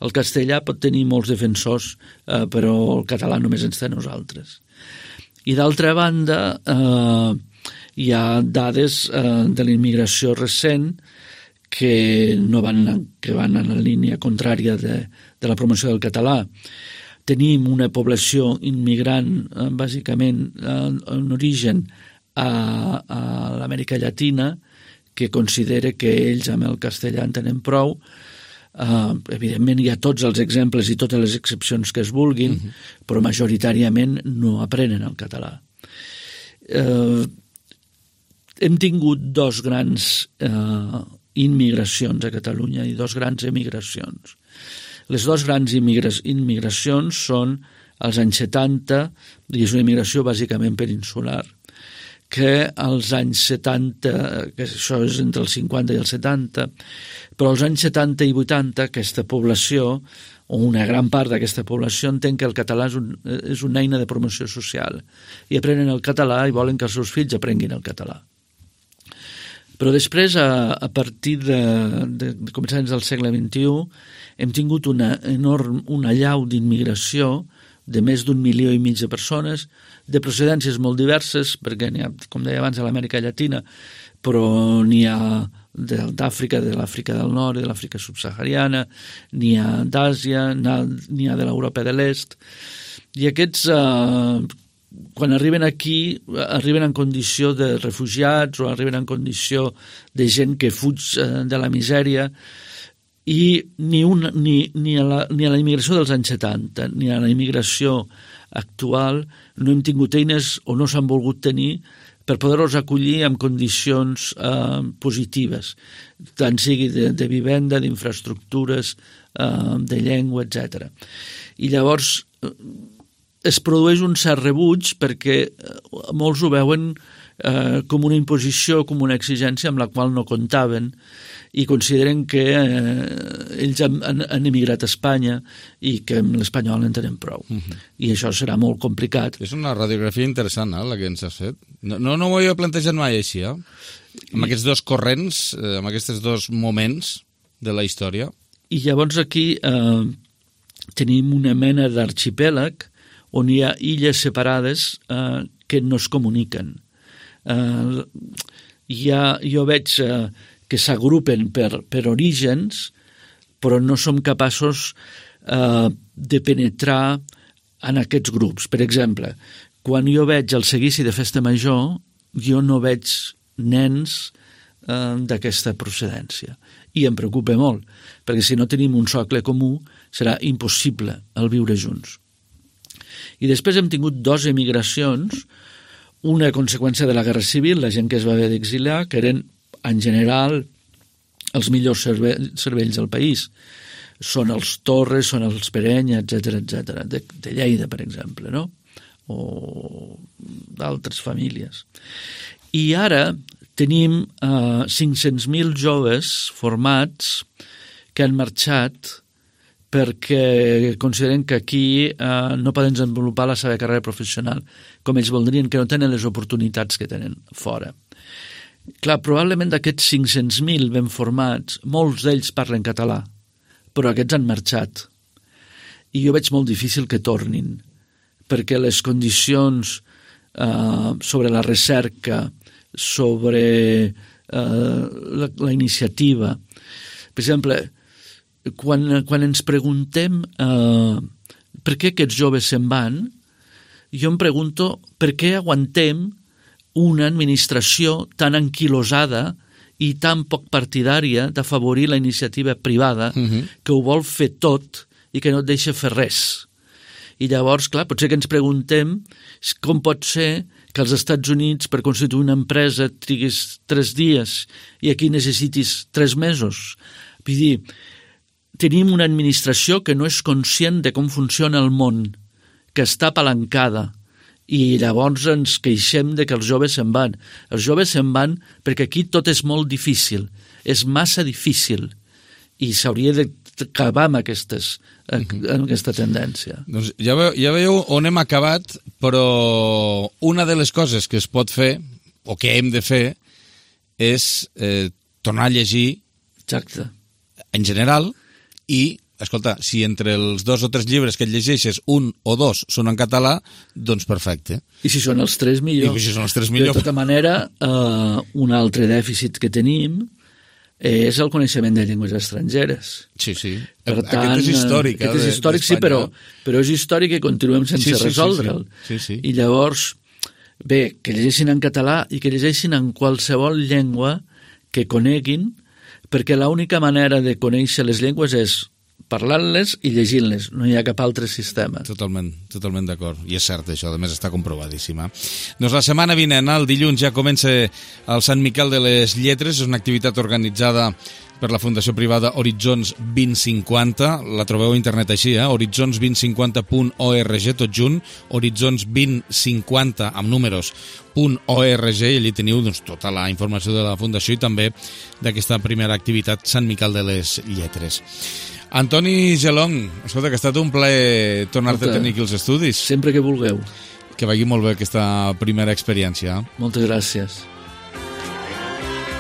El castellà pot tenir molts defensors, eh, però el català només ens té nosaltres. I d'altra banda, eh, hi ha dades eh, de la immigració recent que no van, que van en la línia contrària de, de la promoció del català. Tenim una població immigrant, eh, bàsicament, eh, en origen a, a l'Amèrica Llatina, que considera que ells amb el castellà en tenen prou. Eh, evidentment hi ha tots els exemples i totes les excepcions que es vulguin, uh-huh. però majoritàriament no aprenen el català. Eh, hem tingut dos grans eh, immigracions a Catalunya i dos grans emigracions. Les dues grans immigracions són als anys setanta, i és una immigració bàsicament peninsular, que als anys setanta, que això és entre els cinquanta i els setanta, però als anys setanta i vuitanta aquesta població, o una gran part d'aquesta població, entén que el català és, un, és una eina de promoció social i aprenen el català i volen que els seus fills aprenguin el català. Però després, a, a partir de, de, de començaments del segle vint-i-u, hem tingut una enorme, una allau d'immigració de més d'un milió i mig de persones, de procedències molt diverses, perquè n'hi ha, com deia abans, a l'Amèrica Llatina, però n'hi ha d'Àfrica, de l'Àfrica del Nord, de l'Àfrica subsahariana, n'hi ha d'Àsia, n'hi ha de l'Europa de l'Est. I aquests, eh, quan arriben aquí, arriben en condició de refugiats o arriben en condició de gent que fuig eh, de la misèria, i ni, una, ni, ni, a la, ni a la immigració dels anys setanta ni a la immigració actual no hem tingut eines o no s'han volgut tenir per poder-los acollir en condicions eh, positives, tant sigui de, de vivenda, d'infraestructures, eh, de llengua, etcètera. I llavors eh, es produeix un cert rebuig perquè molts ho veuen eh, com una imposició, com una exigència amb la qual no comptaven, i consideren que eh, ells han, han, han emigrat a Espanya i que amb l'espanyol en tenen prou. Uh-huh. I això serà molt complicat. És una radiografia interessant, eh, la que ens has fet. No, no, no m'ho havia plantejat mai així, eh? Amb I... aquests dos corrents, eh, amb aquests dos moments de la història. I llavors aquí eh, tenim una mena d'arxipèlag on hi ha illes separades eh, que no es comuniquen. Eh, hi ha, jo veig... Eh, que s'agrupen per, per orígens, però no som capaços eh, de penetrar en aquests grups. Per exemple, quan jo veig el seguici de Festa Major, jo no veig nens eh, d'aquesta procedència. I em preocupa molt, perquè si no tenim un socle comú, serà impossible el viure junts. I després hem tingut dues emigracions, una conseqüència de la Guerra Civil, la gent que es va haver d'exiliar, que eren en general, els millors cerve cervells del país. Són els Torres, són els Perenya, etcètera, etcètera, de, de Lleida, per exemple, no? O d'altres famílies. I ara tenim eh, cinc-cents mil joves formats que han marxat perquè consideren que aquí eh, no poden desenvolupar la seva carrera professional com ells voldrien, que no tenen les oportunitats que tenen fora. Clar, probablement d'aquests cinc-cents mil ben formats, molts d'ells parlen català, però aquests han marxat. I jo veig molt difícil que tornin, perquè les condicions eh, sobre la recerca, sobre eh, la, la iniciativa... Per exemple, quan, quan ens preguntem eh, per què aquests joves se'n van, jo em pregunto per què aguantem una administració tan anquilosada i tan poc partidària d'afavorir la iniciativa privada uh-huh. que ho vol fer tot i que no et deixa fer res. I llavors, clar, potser que ens preguntem com pot ser que als Estats Units per constituir una empresa triguis tres dies i aquí necessitis tres mesos. Vull dir, tenim una administració que no és conscient de com funciona el món, que està apalancada, i llavors ens queixem de que els joves se'n van. Els joves se'n van perquè aquí tot és molt difícil, és massa difícil, i s'hauria d'acabar amb, aquestes, amb aquesta tendència. Doncs ja, ve, ja veieu on hem acabat, però una de les coses que es pot fer, o que hem de fer, és eh, tornar a llegir Exacte. En general, i escolta, si entre els dos o tres llibres que et llegeixes, un o dos són en català, doncs perfecte. I si són els tres, millor. I si són els tres, millor. De tota manera, eh, un altre dèficit que tenim és el coneixement de llengües estrangeres. Sí, sí. Per tant, aquest és històric. Aquest és històric, sí, però, però és històric i continuem sense sí, sí, resoldre'l. Sí, sí. Sí, sí. I llavors, bé, que llegeixin en català i que llegeixin en qualsevol llengua que coneguin, perquè l'única manera de conèixer les llengües és parlant-les i llegint-les, no hi ha cap altre sistema. Totalment, totalment d'acord. I és cert això, a més està comprovadíssima. Doncs la setmana vinent, el dilluns, ja comença el Sant Miquel de les Lletres, és una activitat organitzada per la fundació privada Horitzons vint cinquanta. La trobeu a internet així, eh? horitzons vint cinquanta punt org, tot junt, horitzons vint cinquanta amb números punt org, i allí teniu doncs, tota la informació de la fundació i també d'aquesta primera activitat Sant Miquel de les Lletres. Antoni Gelong, escolta, que ha estat un plaer tornar-te a tenir aquí als estudis. Sempre que vulgueu. Que vagi molt bé aquesta primera experiència. Moltes gràcies.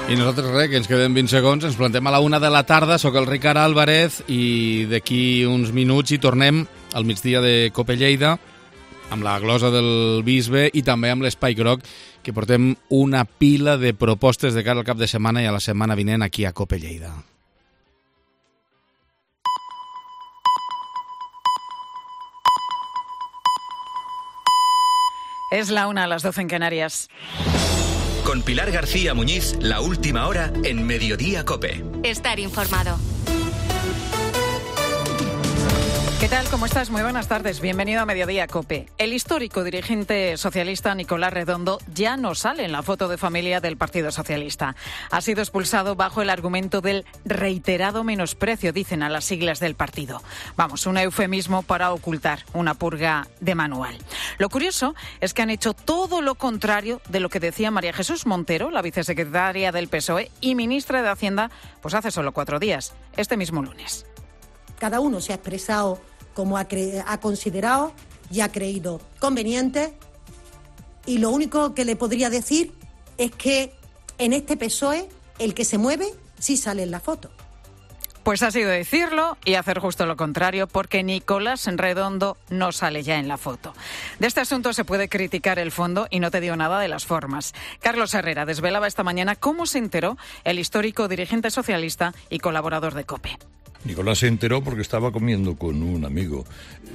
I nosaltres res, que ens queden vint segons, ens plantem a la una de la tarda, sóc el Ricard Álvarez i d'aquí uns minuts hi tornem al migdia de Cope Lleida amb la glosa del bisbe i també amb l'Espai Groc, que portem una pila de propostes de cara al cap de setmana i a la setmana vinent aquí a Cope Lleida. Es la una a las doce en Canarias. Con Pilar García Muñiz, la última hora en Mediodía Cope. Estar informado. ¿Qué tal? ¿Cómo estás? Muy buenas tardes. Bienvenido a Mediodía Cope. El histórico dirigente socialista Nicolás Redondo ya no sale en la foto de familia del Partido Socialista. Ha sido expulsado bajo el argumento del reiterado menosprecio, dicen, a las siglas del partido. Vamos, un eufemismo para ocultar una purga de manual. Lo curioso es que han hecho todo lo contrario de lo que decía María Jesús Montero, la vicesecretaria del P S O E y ministra de Hacienda, pues hace solo cuatro días, este mismo lunes. Cada uno se ha expresado como ha, cre- ha considerado y ha creído conveniente, y lo único que le podría decir es que en este P S O E el que se mueve sí sale en la foto. Pues ha sido decirlo y hacer justo lo contrario, porque Nicolás Redondo no sale ya en la foto. De este asunto se puede criticar el fondo y no te digo nada de las formas. Carlos Herrera desvelaba esta mañana cómo se enteró el histórico dirigente socialista y colaborador de COPE. Nicolás se enteró porque estaba comiendo con un amigo.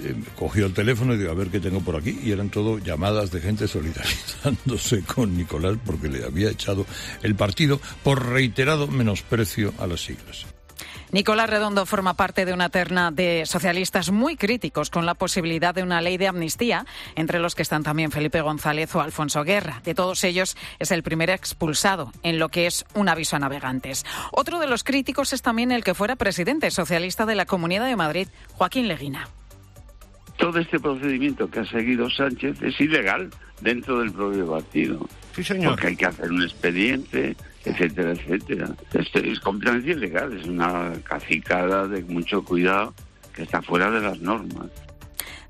Eh, cogió el teléfono y dijo, a ver qué tengo por aquí. Y eran todo llamadas de gente solidarizándose con Nicolás porque le había echado el partido por reiterado menosprecio a las siglas. Nicolás Redondo forma parte de una terna de socialistas muy críticos con la posibilidad de una ley de amnistía, entre los que están también Felipe González o Alfonso Guerra. De todos ellos, es el primer expulsado en lo que es un aviso a navegantes. Otro de los críticos es también el que fuera presidente socialista de la Comunidad de Madrid, Joaquín Leguina. Todo este procedimiento que ha seguido Sánchez es ilegal dentro del propio partido. Sí, señor. Porque hay que hacer un expediente, etcétera, etcétera. Esto es completamente ilegal, es una cacicada de mucho cuidado que está fuera de las normas.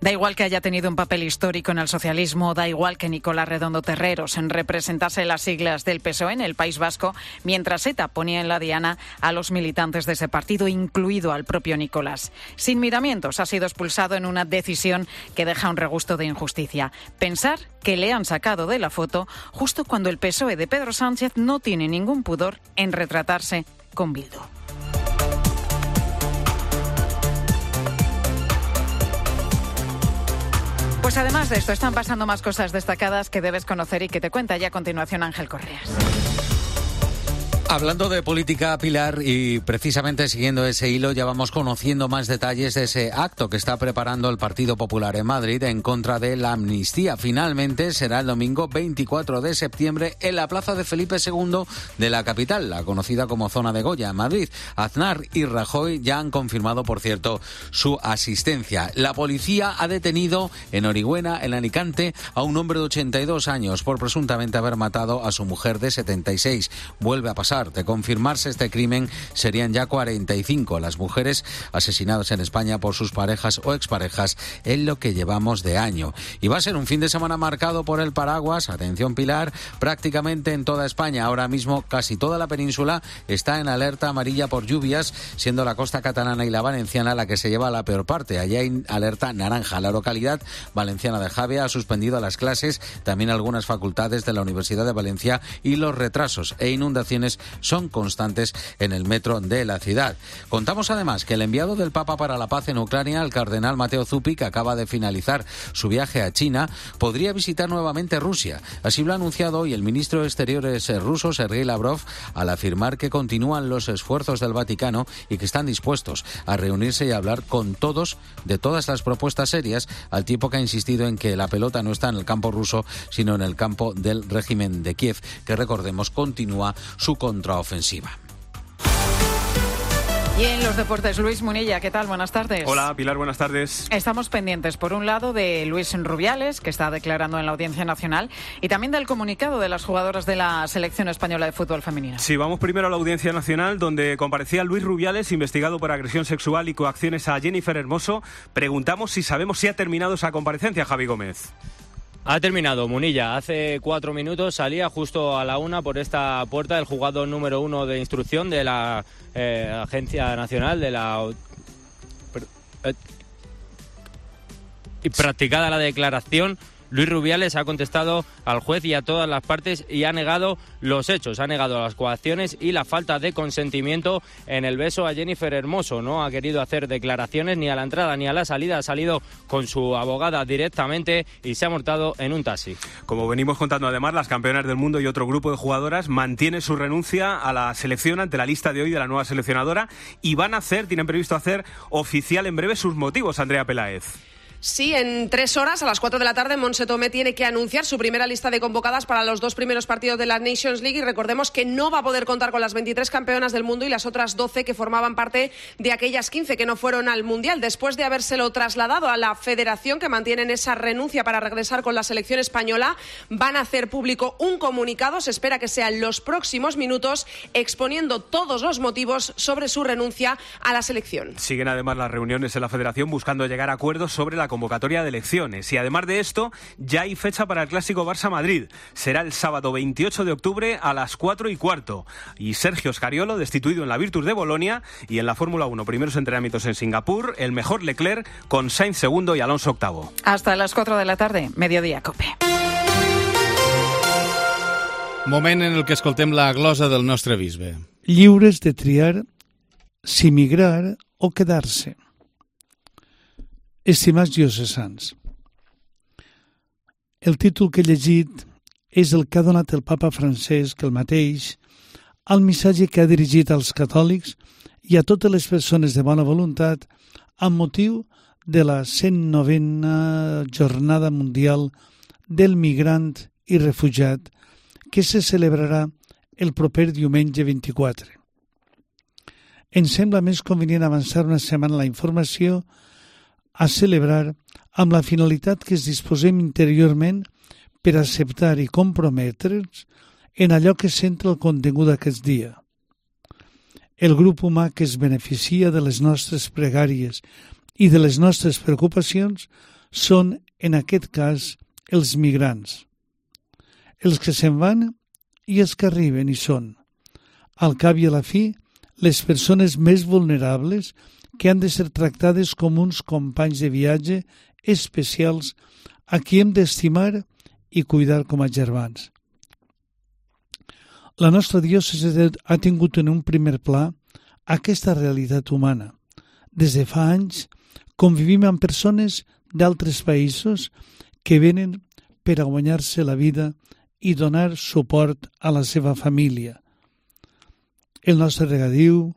Da igual que haya tenido un papel histórico en el socialismo, da igual que Nicolás Redondo Terreros en representase las siglas del P S O E en el País Vasco, mientras ETA ponía en la diana a los militantes de ese partido, incluido al propio Nicolás. Sin miramientos, ha sido expulsado en una decisión que deja un regusto de injusticia. Pensar que le han sacado de la foto justo cuando el P S O E de Pedro Sánchez no tiene ningún pudor en retratarse con Bildu. Pues además de esto, están pasando más cosas destacadas que debes conocer y que te cuenta ya a continuación Ángel Correas. Hablando de política, Pilar, y precisamente siguiendo ese hilo, ya vamos conociendo más detalles de ese acto que está preparando el Partido Popular en Madrid en contra de la amnistía. Finalmente será el domingo veinticuatro de septiembre en la plaza de Felipe segundo de la capital, la conocida como Zona de Goya, en Madrid. Aznar y Rajoy ya han confirmado, por cierto, su asistencia. La policía ha detenido en Orihuela, en Alicante, a un hombre de ochenta y dos años por presuntamente haber matado a su mujer de setenta y seis. Vuelve a pasar. De confirmarse este crimen, serían ya cuarenta y cinco las mujeres asesinadas en España por sus parejas o exparejas en lo que llevamos de año. Y va a ser un fin de semana marcado por el paraguas, atención Pilar, prácticamente en toda España. Ahora mismo casi toda la península está en alerta amarilla por lluvias, siendo la costa catalana y la valenciana la que se lleva la peor parte. Allí hay alerta naranja. La localidad valenciana de Javea ha suspendido las clases, también algunas facultades de la Universidad de Valencia, y los retrasos e inundaciones son constantes en el metro de la ciudad. Contamos además que el enviado del Papa para la paz en Ucrania, el cardenal Mateo Zuppi, que acaba de finalizar su viaje a China, podría visitar nuevamente Rusia. Así lo ha anunciado hoy el ministro de Exteriores ruso, Sergei Lavrov, al afirmar que continúan los esfuerzos del Vaticano y que están dispuestos a reunirse y a hablar con todos de todas las propuestas serias, al tiempo que ha insistido en que la pelota no está en el campo ruso, sino en el campo del régimen de Kiev, que recordemos continúa su contraofensiva. Y en los deportes, Luis Munilla, ¿qué tal? Buenas tardes. Hola, Pilar, buenas tardes. Estamos pendientes, por un lado, de Luis Rubiales, que está declarando en la Audiencia Nacional, y también del comunicado de las jugadoras de la Selección Española de Fútbol Femenino. Sí, vamos primero a la Audiencia Nacional, donde comparecía Luis Rubiales, investigado por agresión sexual y coacciones a Jennifer Hermoso. Preguntamos si sabemos si ha terminado esa comparecencia, Javi Gómez. Ha terminado, Munilla. Hace cuatro minutos salía justo a la una por esta puerta el juzgado número uno de instrucción de la eh, Agencia Nacional de la... Eh, y practicada la declaración, Luis Rubiales ha contestado al juez y a todas las partes y ha negado los hechos, ha negado las coacciones y la falta de consentimiento en el beso a Jennifer Hermoso. No ha querido hacer declaraciones ni a la entrada ni a la salida, ha salido con su abogada directamente y se ha montado en un taxi. Como venimos contando además, las campeonas del mundo y otro grupo de jugadoras mantienen su renuncia a la selección ante la lista de hoy de la nueva seleccionadora y van a hacer, tienen previsto hacer oficial en breve sus motivos, Andrea Peláez. Sí, en tres horas, a las cuatro de la tarde, Montse Tomé tiene que anunciar su primera lista de convocadas para los dos primeros partidos de la Nations League y recordemos que no va a poder contar con las veintitrés campeonas del mundo y las otras doce que formaban parte de aquellas quince que no fueron al Mundial. Después de habérselo trasladado a la federación, que mantienen esa renuncia para regresar con la selección española, van a hacer público un comunicado, se espera que sea en los próximos minutos, exponiendo todos los motivos sobre su renuncia a la selección. Siguen además las reuniones en la federación buscando llegar a acuerdos sobre la convocatoria de elecciones y además de esto ya hay fecha para el clásico Barça-Madrid. Será el sábado veintiocho de octubre a las cuatro y cuarto y Sergio Scariolo destituido en la Virtus de Bolonia y en la Fórmula uno primeros entrenamientos en Singapur el mejor Leclerc con Sainz segundo y Alonso octavo. Hasta las cuatro de la tarde, Mediodía Cope. Moment en el que escoltem la glosa del nostre bisbe. Lliures de triar si migrar o quedar-se. Estimats diocesans, el títol que he llegit és el que ha donat el papa Francesc, el mateix, al missatge que ha dirigit als catòlics i a totes les persones de bona voluntat amb motiu de la cent novena Jornada Mundial del Migrant i Refugiat que se celebrarà el proper diumenge vint-i-quatre. Ens sembla més convenient avançar una setmana la informació a celebrar amb la finalitat que es disposem interiorment per acceptar i comprometre'ns en allò que centra el contingut d'aquest dia. El grup humà que es beneficia de les nostres pregàries i de les nostres preocupacions són, en aquest cas, els migrants. Els que se'n van i els que arriben hi són, al cap i a la fi, les persones més vulnerables que han de ser tractades com uns companys de viatge especials a qui hem d'estimar i cuidar com a germans. La nostra diòcesi ha tingut en un primer pla aquesta realitat humana. Des de fa anys convivim amb persones d'altres països que venen per a guanyar-se la vida i donar suport a la seva família. El nostre regadiu,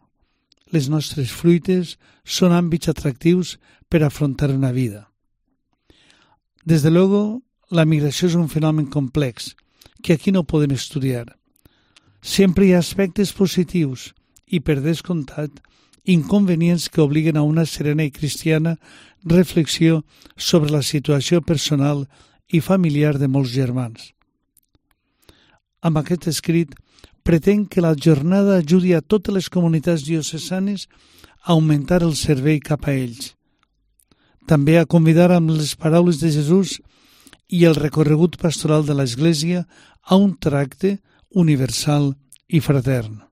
les nostres fruites són àmbits atractius per afrontar una vida. Des de luego, la migració és un fenomen complex que aquí no podem estudiar. Sempre hi ha aspectes positius i, per descomptat, inconvenients que obliguen a una serena i cristiana reflexió sobre la situació personal i familiar de molts germans. Amb aquest escrit, pretén que la jornada ajudi a totes les comunitats diocesanes a augmentar el servei cap a ells. També a convidar amb les paraules de Jesús i el recorregut pastoral de l'Església a un tracte universal i fratern.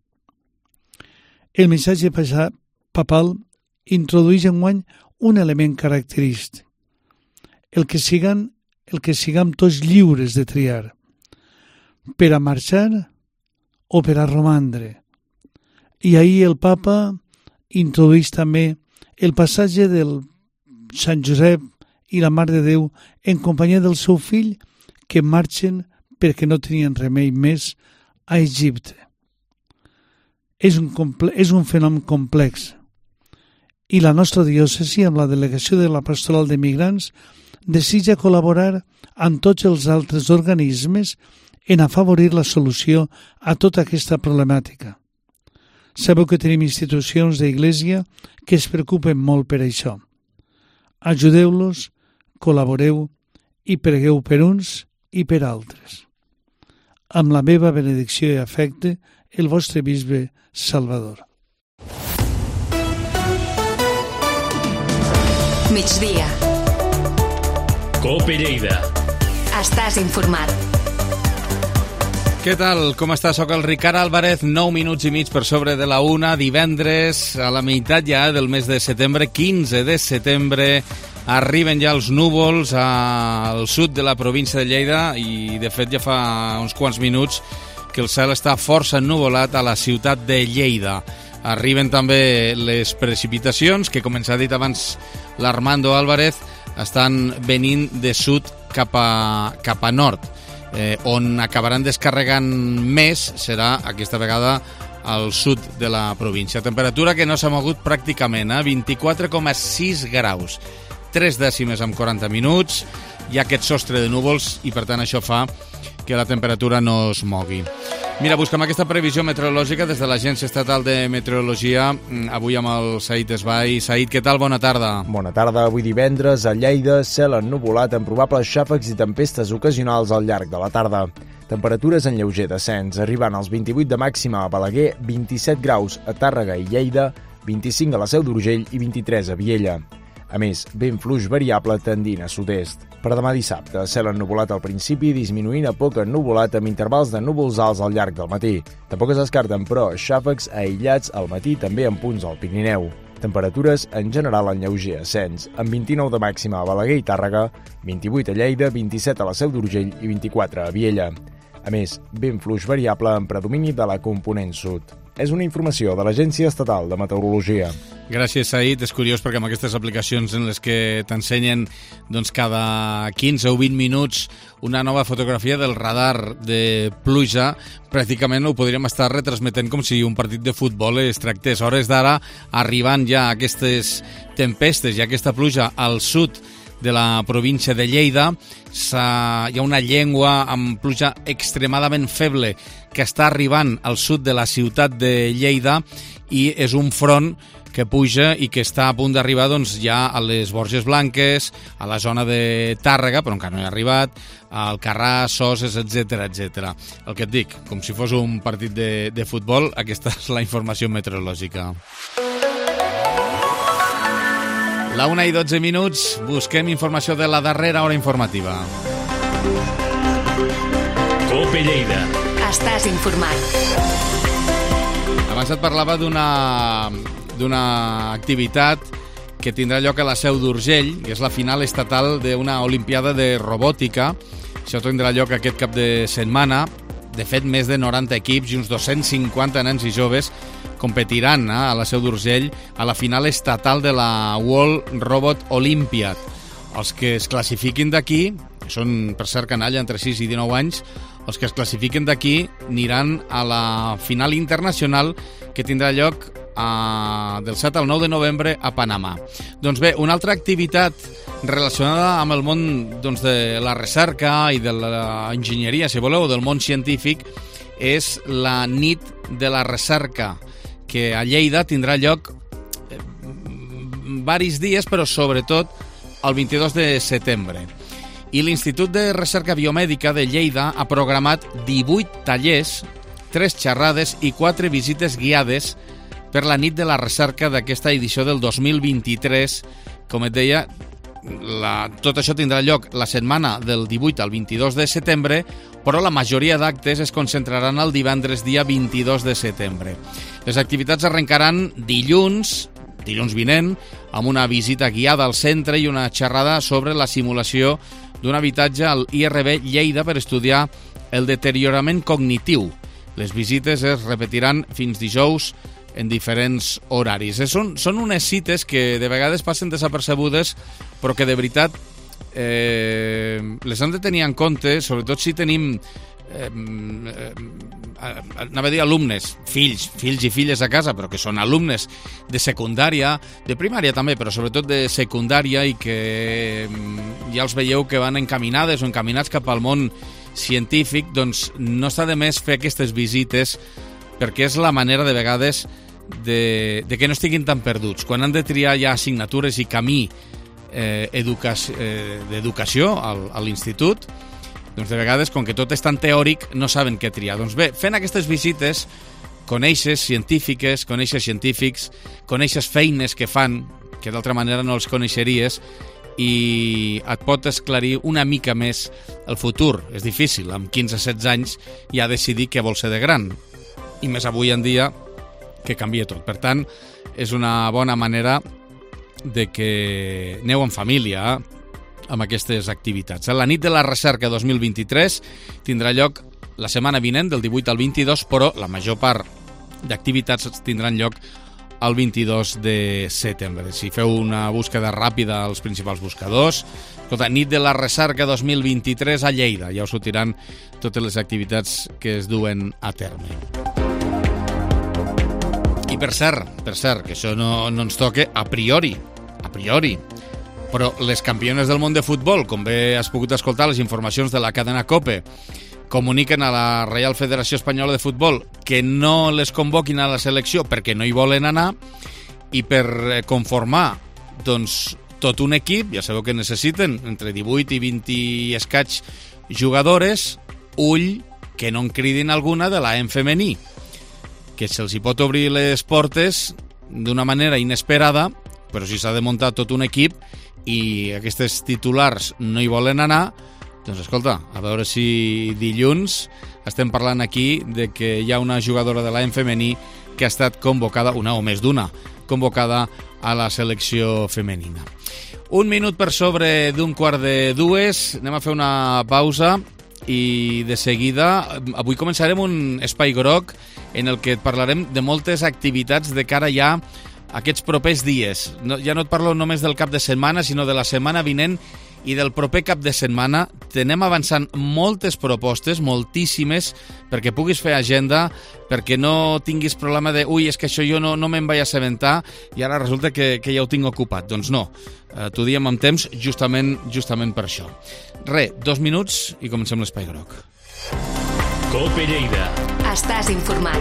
El missatge papal introdueix enguany un element característic, el que siguen, el que siguem tots lliures de triar, per a marxar o per a romandre. I ahir el papa introdueix també el passatge del Sant Josep i la Mare de Déu en companyia del seu fill que marxen perquè no tenien remei més a Egipte. És un, comple- és un fenomen complex i la nostra diòcesi amb la delegació de la Pastoral de Migrants desitja col·laborar amb tots els altres organismes en afavorir la solució a tota aquesta problemàtica. Sabeu que tenim institucions d'Iglésia que es preocupen molt per això. Ajudeu-los, col·laboreu i pregueu per uns i per altres. Amb la meva benedicció i afecte, el vostre bisbe Salvador. Migdia. Cope Lleida. Estàs informat. Què tal? Com està? Soc el Ricard Álvarez, nou minuts i mig per sobre de la una, divendres, a la meitat ja del mes de setembre, quinze de setembre, arriben ja els núvols al sud de la província de Lleida i, de fet, ja fa uns quants minuts que el cel està força ennuvolat a la ciutat de Lleida. Arriben també les precipitacions, que, com ens ha dit abans l'Armando Álvarez, estan venint de sud cap a, cap a nord. Eh, on acabaran descarregant més serà aquesta vegada al sud de la província. Temperatura que no s'ha mogut pràcticament, eh? vint-i-quatre coma sis graus, tres dècimes amb quaranta minuts, hi ha aquest sostre de núvols i per tant això fa que la temperatura no es mogui. Mira, busquem aquesta previsió meteorològica des de l'Agència Estatal de Meteorologia, avui amb el Said Esbai. Said, què tal? Bona tarda. Bona tarda. Avui divendres a Lleida, cel ennuvolat amb probables xàfecs i tempestes ocasionals al llarg de la tarda. Temperatures en lleuger descens, arribant als vint-i-vuit de màxima a Balaguer, vint-i-set graus a Tàrrega i Lleida, vint-i-cinc a la Seu d'Urgell i vint-i-tres a Viella. A més, vent fluix variable tendint a sud-est. Per demà dissabte, cel ennuvolat al principi, disminuint a poc ennuvolat amb intervals de núvols alts al llarg del matí. Tampoc es descarten, però, xàfecs aïllats al matí també en punts al Pirineu. Temperatures en general en lleuger ascens, amb vint-i-nou de màxima a Balaguer i Tàrrega, vint-i-vuit a Lleida, vint-i-set a la Seu d'Urgell i vint-i-quatre a Viella. A més, vent fluix variable amb predomini de la component sud. És una informació de l'Agència Estatal de Meteorologia. Gràcies, Said. És curiós perquè amb aquestes aplicacions en les que t'ensenyen doncs, cada quinze o vint minuts una nova fotografia del radar de pluja, pràcticament ho podríem estar retransmetent com si un partit de futbol es tractés. A hores d'ara, arribant ja aquestes tempestes i aquesta pluja al sud de la província de Lleida, hi ha una llengua amb pluja extremadament feble que està arribant al sud de la ciutat de Lleida i és un front que puja i que està a punt d'arribar doncs, ja a les Borges Blanques, a la zona de Tàrrega, però encara no hi ha arribat, al Carràs, Soses, etcètera, etcètera. El que et dic, com si fos un partit de, de futbol, aquesta és la informació meteorològica. La una i dotze minuts, busquem informació de la darrera hora informativa. Cope Lleida. Estàs informat. Abans et parlava d'una d'una activitat que tindrà lloc a la Seu d'Urgell, que és la final estatal d'una olimpiada de robòtica. Això tindrà lloc aquest cap de setmana. De fet, més de noranta equips i uns dos-cents cinquanta nens i joves competiran eh, a la Seu d'Urgell a la final estatal de la World Robot Olympiad. Els que es classifiquin d'aquí, són per cert canalla entre sis i dinou anys, els que es classifiquen d'aquí aniran a la final internacional que tindrà lloc a, del set al nou de novembre a Panamà. Doncs bé, una altra activitat relacionada amb el món doncs, de la recerca i de l'enginyeria, si voleu, del món científic, és la nit de la recerca, que a Lleida tindrà lloc eh, varis dies, però sobretot el vint-i-dos de setembre. I l'Institut de Recerca Biomèdica de Lleida ha programat divuit tallers, tres xerrades i quatre visites guiades per la nit de la recerca d'aquesta edició del dos mil vint-i-tres. Com et deia, la, tot això tindrà lloc la setmana del divuit al vint-i-dos de setembre, però la majoria d'actes es concentraran el divendres dia vint-i-dos de setembre. Les activitats arrencaran dilluns, dilluns vinent, amb una visita guiada al centre i una xerrada sobre la simulació d'un habitatge al I R B Lleida per estudiar el deteriorament cognitiu. Les visites es repetiran fins dijous en diferents horaris. Són, són unes cites que de vegades passen desapercebudes, però que de veritat eh, les hem de tenir en compte, sobretot si tenim eh, eh, anava a dir alumnes, fills, fills i filles a casa, però que són alumnes de secundària, de primària també, però sobretot de secundària, i que ja els veieu que van encaminades o encaminats cap al món científic. Doncs no està de més fer aquestes visites, perquè és la manera de vegades de, de que no estiguin tan perduts. Quan han de triar ja assignatures i camí eh, educa eh, d'educació al, a l'institut, doncs de vegades, com que tot és tan teòric, no saben què triar. Doncs bé, fent aquestes visites, coneixes científiques, coneixes científics, coneixes feines que fan, que d'altra manera no els coneixeries, i et pot esclarir una mica més el futur. És difícil, amb quinze a setze anys ja decidir què vol ser de gran, i més avui en dia que canvia tot. Per tant, és una bona manera de que aneu en família amb aquestes activitats. La nit de la recerca dos mil vint-i-tres tindrà lloc la setmana vinent, del divuit al vint-i-dos, però la major part d'activitats tindran lloc el vint-i-dos de setembre. Si feu una búsqueda ràpida als principals buscadors, escolta, nit de la recerca dos mil vint-i-tres a Lleida, ja us sortiran totes les activitats que es duen a terme. I per cert, per cert, que això no, no ens toca a priori, a priori, però les campiones del món de futbol, com bé has pogut escoltar les informacions de la cadena COPE, comuniquen a la Reial Federació Espanyola de Futbol que no les convoquin a la selecció perquè no hi volen anar, i per conformar doncs, tot un equip, ja sabeu que necessiten entre divuit i vint i escaig jugadores, ull que no en cridin alguna de la en femení, que se'ls hi pot obrir les portes d'una manera inesperada, però si s'ha de muntar tot un equip i aquestes titulars no hi volen anar, doncs escolta, a veure si dilluns estem parlant aquí de que hi ha una jugadora de l'A M femení que ha estat convocada, una o més d'una, convocada a la selecció femenina. Un minut per sobre d'un quart de dues, anem a fer una pausa i de seguida avui començarem un espai groc en el que et parlarem de moltes activitats de cara ja a aquests propers dies. No, ja no et parlo només del cap de setmana, sinó de la setmana vinent i del proper cap de setmana. Tenem avançant moltes propostes, moltíssimes, perquè puguis fer agenda, perquè no tinguis problema de ui, és que això jo no, no me'n vaig assabentar i ara resulta que, que ja ho tinc ocupat. Doncs no, eh, t'ho diem amb temps justament, justament per això. Re, dos minuts i comencem l'espai groc. COPE Lleida. Estàs informat.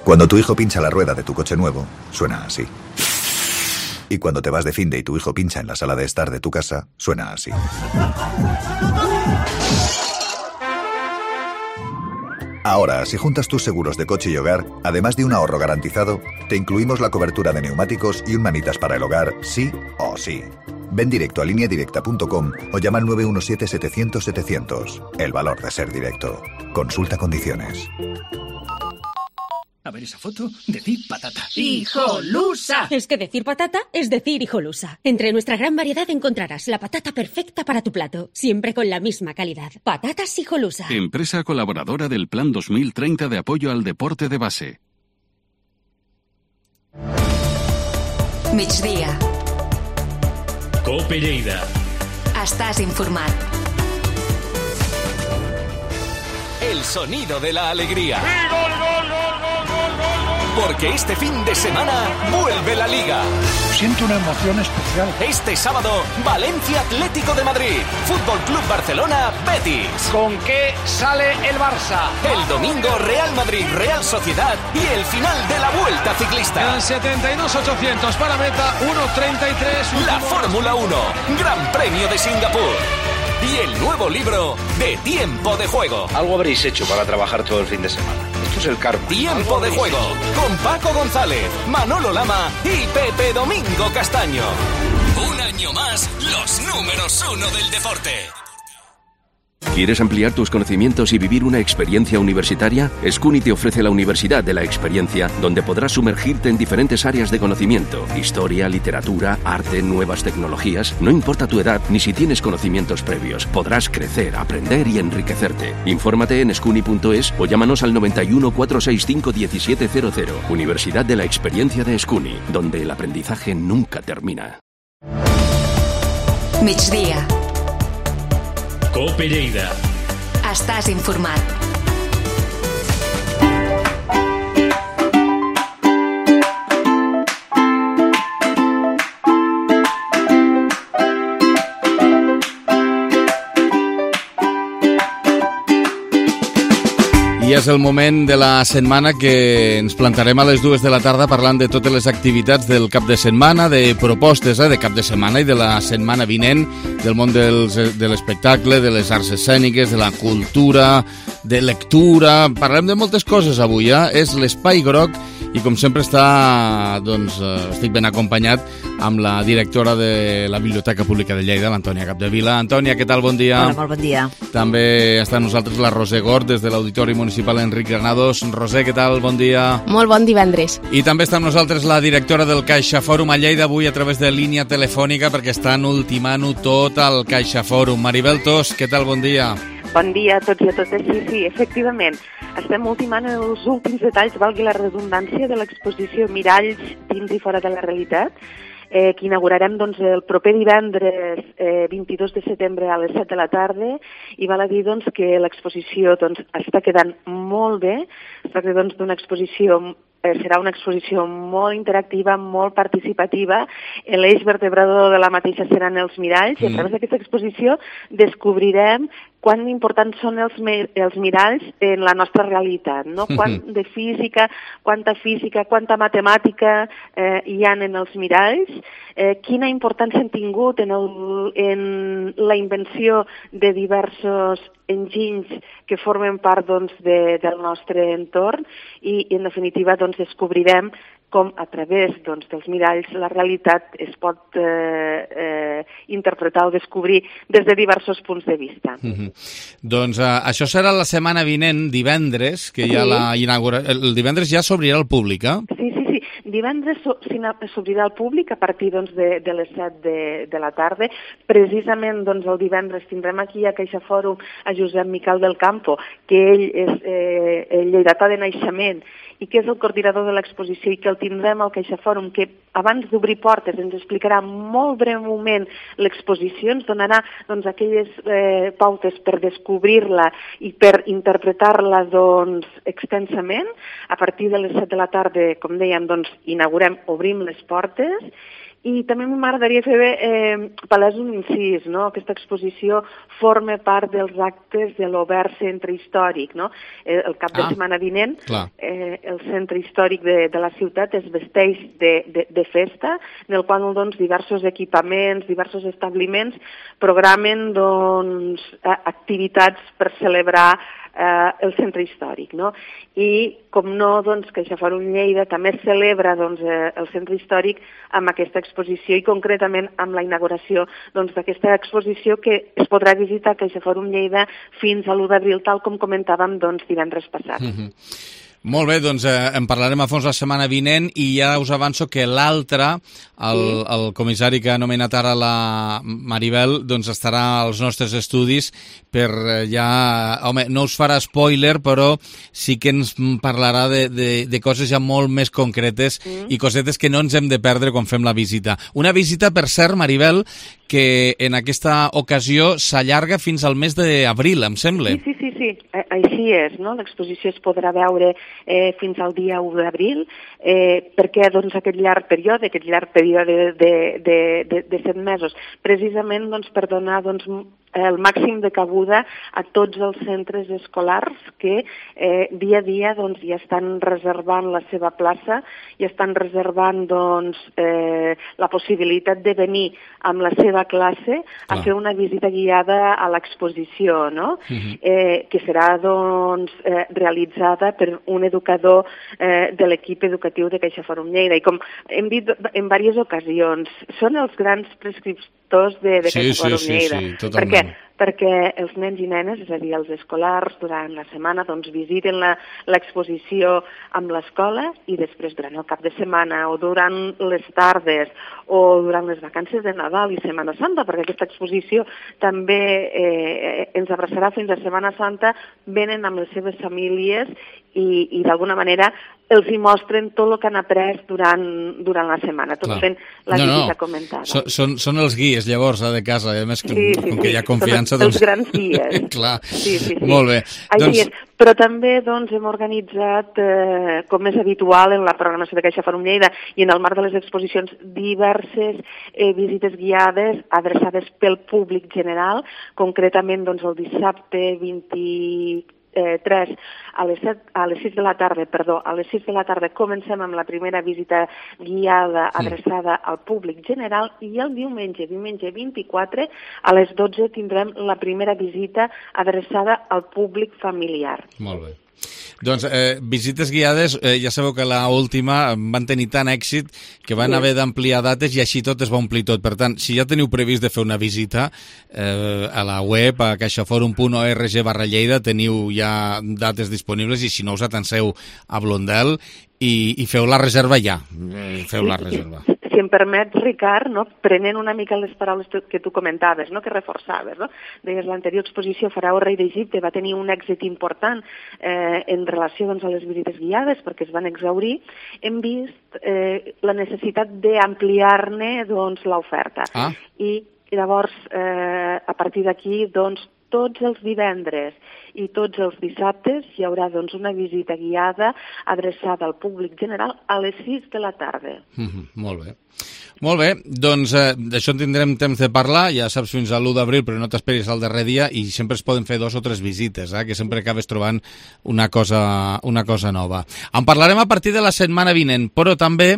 Cuando tu hijo pincha la rueda de tu coche nuevo, suena así. Y cuando te vas de finde y tu hijo pincha en la sala de estar de tu casa, suena así. Ahora, si juntas tus seguros de coche y hogar, además de un ahorro garantizado, te incluimos la cobertura de neumáticos y un manitas para el hogar, sí o sí. Ven directo a línea directa punto com o llama al nueve uno siete, setecientos, setecientos. El valor de ser directo. Consulta condiciones. A ver esa foto, decir patata. ¡Hijolusa! Es que decir patata es decir hijolusa. Entre nuestra gran variedad encontrarás la patata perfecta para tu plato, siempre con la misma calidad. Patatas Hijolusa. Empresa colaboradora del Plan dos mil treinta de apoyo al deporte de base. Migdia. COPE Lleida. Estàs informat. El sonido de la alegría. Porque este fin de semana vuelve la Liga. Siento una emoción especial. Este sábado, Valencia Atlético de Madrid, Fútbol Club Barcelona, Betis. ¿Con qué sale el Barça? El domingo, Real Madrid, Real Sociedad y el final de la Vuelta Ciclista. Quedan setenta y dos ochocientos para meta, uno treinta y tres. La Fórmula uno, Gran Premio de Singapur. Y el nuevo libro de Tiempo de Juego. Algo habréis hecho para trabajar todo el fin de semana. Esto es el karma. Tiempo de Juego, con Paco González, Manolo Lama y Pepe Domingo Castaño. Un año más, los números uno del deporte. ¿Quieres ampliar tus conocimientos y vivir una experiencia universitaria? SCUNY te ofrece la Universidad de la Experiencia, donde podrás sumergirte en diferentes áreas de conocimiento: historia, literatura, arte, nuevas tecnologías. No importa tu edad ni si tienes conocimientos previos, podrás crecer, aprender y enriquecerte. Infórmate en scuni punto es o llámanos al noventa y uno, cuatrocientos sesenta y cinco, diecisiete cero cero. Universidad de la Experiencia de SCUNY, donde el aprendizaje nunca termina. Migdia. COPE Lleida. Estàs informat. I és el moment de la setmana que ens plantarem a les dues de la tarda parlant de totes les activitats del cap de setmana, de propostes eh, de cap de setmana i de la setmana vinent, del món dels, de l'espectacle, de les arts escèniques, de la cultura, de lectura. Parlem de moltes coses avui, eh? És l'Espai Groc i com sempre està, doncs, estic ben acompanyat amb la directora de la Biblioteca Pública de Lleida, l'Antònia Capdevila. Antònia, què tal? Bon dia. Hola, molt bon dia. També està amb nosaltres la Roser Gort des de l'Auditori Municipal Enric Granados. Roser, què tal? Bon dia. Molt bon divendres. I també està amb nosaltres la directora del Caixa Fòrum a Lleida, avui a través de línia telefònica, perquè estan ultimant-ho tot al Caixa Fòrum. Maribel Tos, què tal? Bon dia. Bon dia a tots i a totes. Sí, sí, efectivament. Estem ultimant els últims detalls, valgui la redundància, de l'exposició Miralls dins i fora de la realitat, eh, que inaugurarem doncs, el proper divendres eh, vint-i-dos de setembre a les set de la tarda, i val a dir doncs, que l'exposició doncs, està quedant molt bé. Es tracta doncs, d'una exposició eh, serà una exposició molt interactiva, molt participativa. L'eix vertebrador de la mateixa seran els miralls, mm. i a través d'aquesta exposició descobrirem quan importants són els, els miralls en la nostra realitat, no? Quant de física, quanta física, quanta matemàtica eh, hi ha en els miralls, eh, quina importància han tingut en, el, en la invenció de diversos enginys que formen part doncs, de, del nostre entorn i, i en definitiva doncs, descobrirem com a través doncs, dels miralls la realitat es pot eh, eh, interpretar o descobrir des de diversos punts de vista. Mm-hmm. Doncs eh, això serà la setmana vinent, divendres, que sí. ja la inaugura... El divendres ja s'obrirà al públic, eh? Sí, sí, sí. Divendres s'obrirà al públic a partir doncs, de, de les set de, de la tarda. Precisament doncs, el divendres tindrem aquí a Caixa Fòrum a Josep Miquel del Campo, que ell és eh, lleidatà de naixement i que és el coordinador de l'exposició i que el tindrem al Caixa Fòrum, que abans d'obrir portes ens explicarà molt breument l'exposició, ens donarà doncs, aquelles eh, pautes per descobrir-la i per interpretar-la doncs, extensament. A partir de les set de la tarda, com dèiem, doncs, inaugurem, obrim les portes. I també m'agradaria fer eh, palès un incís, no? Aquesta exposició forma part dels actes de l'Obert Centre Històric, no? Eh, el cap de ah, setmana vinent, eh, el centre històric de, de la ciutat es vesteix de, de, de festa, en el qual doncs, diversos equipaments, diversos establiments programen doncs, activitats per celebrar eh, el centre històric, no? I, com no, doncs, Caixa Fòrum Lleida també celebra doncs, eh, el centre històric amb aquesta exposició i concretament amb la inauguració doncs, d'aquesta exposició que es podrà visitar a Caixa Fòrum Lleida fins a l'u d'abril, tal com comentàvem doncs, divendres passat. Mm-hmm. Molt bé, doncs eh, en parlarem a fons la setmana vinent i ja us avanço que l'altre, el, sí. el comissari que ha nomenat ara la Maribel, doncs estarà als nostres estudis per eh, ja... Home, no us farà spoiler, però sí que ens parlarà de, de, de coses ja molt més concretes mm. i cosetes que no ens hem de perdre quan fem la visita. Una visita, per cert, Maribel, que en aquesta ocasió s'allarga fins al mes d'abril, em sembla. Sí, sí, sí, sí. Així és, no? L'exposició es podrà veure eh, fins al dia u d'abril, eh, perquè doncs, aquest llarg període, aquest llarg període de, de, de, de set mesos, precisament doncs, per donar doncs, el màxim de cabuda a tots els centres escolars que eh, dia a dia doncs, ja estan reservant la seva plaça i estan reservant doncs, eh, la possibilitat de venir amb la seva classe a ah. fer una visita guiada a l'exposició, no? Uh-huh. eh, que serà doncs, eh, realitzada per un educador eh, de l'equip educatiu de Caixa Fòrum Lleida. I com hem dit en diverses ocasions, són els grans prescriptors de, de Caixa sí, Fòrum sí, Lleida. Sí, sí, totalment. Per què? Perquè els nens i nenes, és a dir, els escolars, durant la setmana doncs, visiten l'exposició amb l'escola i després durant el cap de setmana o durant les tardes o durant les vacances de Nadal i Setmana Santa, perquè aquesta exposició també eh, ens abraçarà fins a Setmana Santa, venen amb les seves famílies i, i d'alguna manera els hi mostren tot el que han après durant, durant la setmana, tot Clar. fent la no, visita no. comentada. So, són, són els guies, llavors, de casa, a més, sí, sí, com sí. que hi ha confiança... Són els doncs... grans guies. Clar, sí, sí, sí. molt bé. Així doncs... és. Però també doncs, hem organitzat, eh, com és habitual en la programació de Caixa Fòrum Lleida i en el marc de les exposicions, diverses eh, visites guiades adreçades pel públic general, concretament doncs, el dissabte vint tres a les, set, a les sis de la tarda, perdó, a les sis de la tarda comencem amb la primera visita guiada adreçada al públic general i el diumenge, diumenge vint-i-quatre, a les dotze tindrem la primera visita adreçada al públic familiar. Molt bé. Doncs eh, visites guiades, eh, ja sabeu que l'última van tenir tant èxit que van sí. haver d'ampliar dates i així tot es va omplir tot. Per tant, si ja teniu previst de fer una visita eh, a la web, a caixaforum punt org barra Lleida, teniu ja dates disponibles i si no us atanseu a Blondel i, i feu la reserva ja. Feu la reserva. Si em permets, Ricard, no? Prenent una mica les paraules que tu comentaves, no? Que reforçaves, no? Deies, l'anterior exposició Faraó Rei d'Egipte va tenir un èxit important eh, en relació doncs, a les visites guiades perquè es van exhaurir. Hem vist eh, la necessitat d'ampliar-ne doncs, l'oferta. Ah. I llavors, eh, a partir d'aquí, doncs, tots els divendres i tots els dissabtes hi haurà doncs, una visita guiada adreçada al públic general a les sis de la tarda. Mm-hmm, molt bé. Molt bé, doncs eh, d'això en tindrem temps de parlar, ja saps, fins a l'u d'abril, però no t'esperis al darrer dia i sempre es poden fer dos o tres visites, eh, que sempre acabes trobant una cosa, una cosa nova. En parlarem a partir de la setmana vinent, però també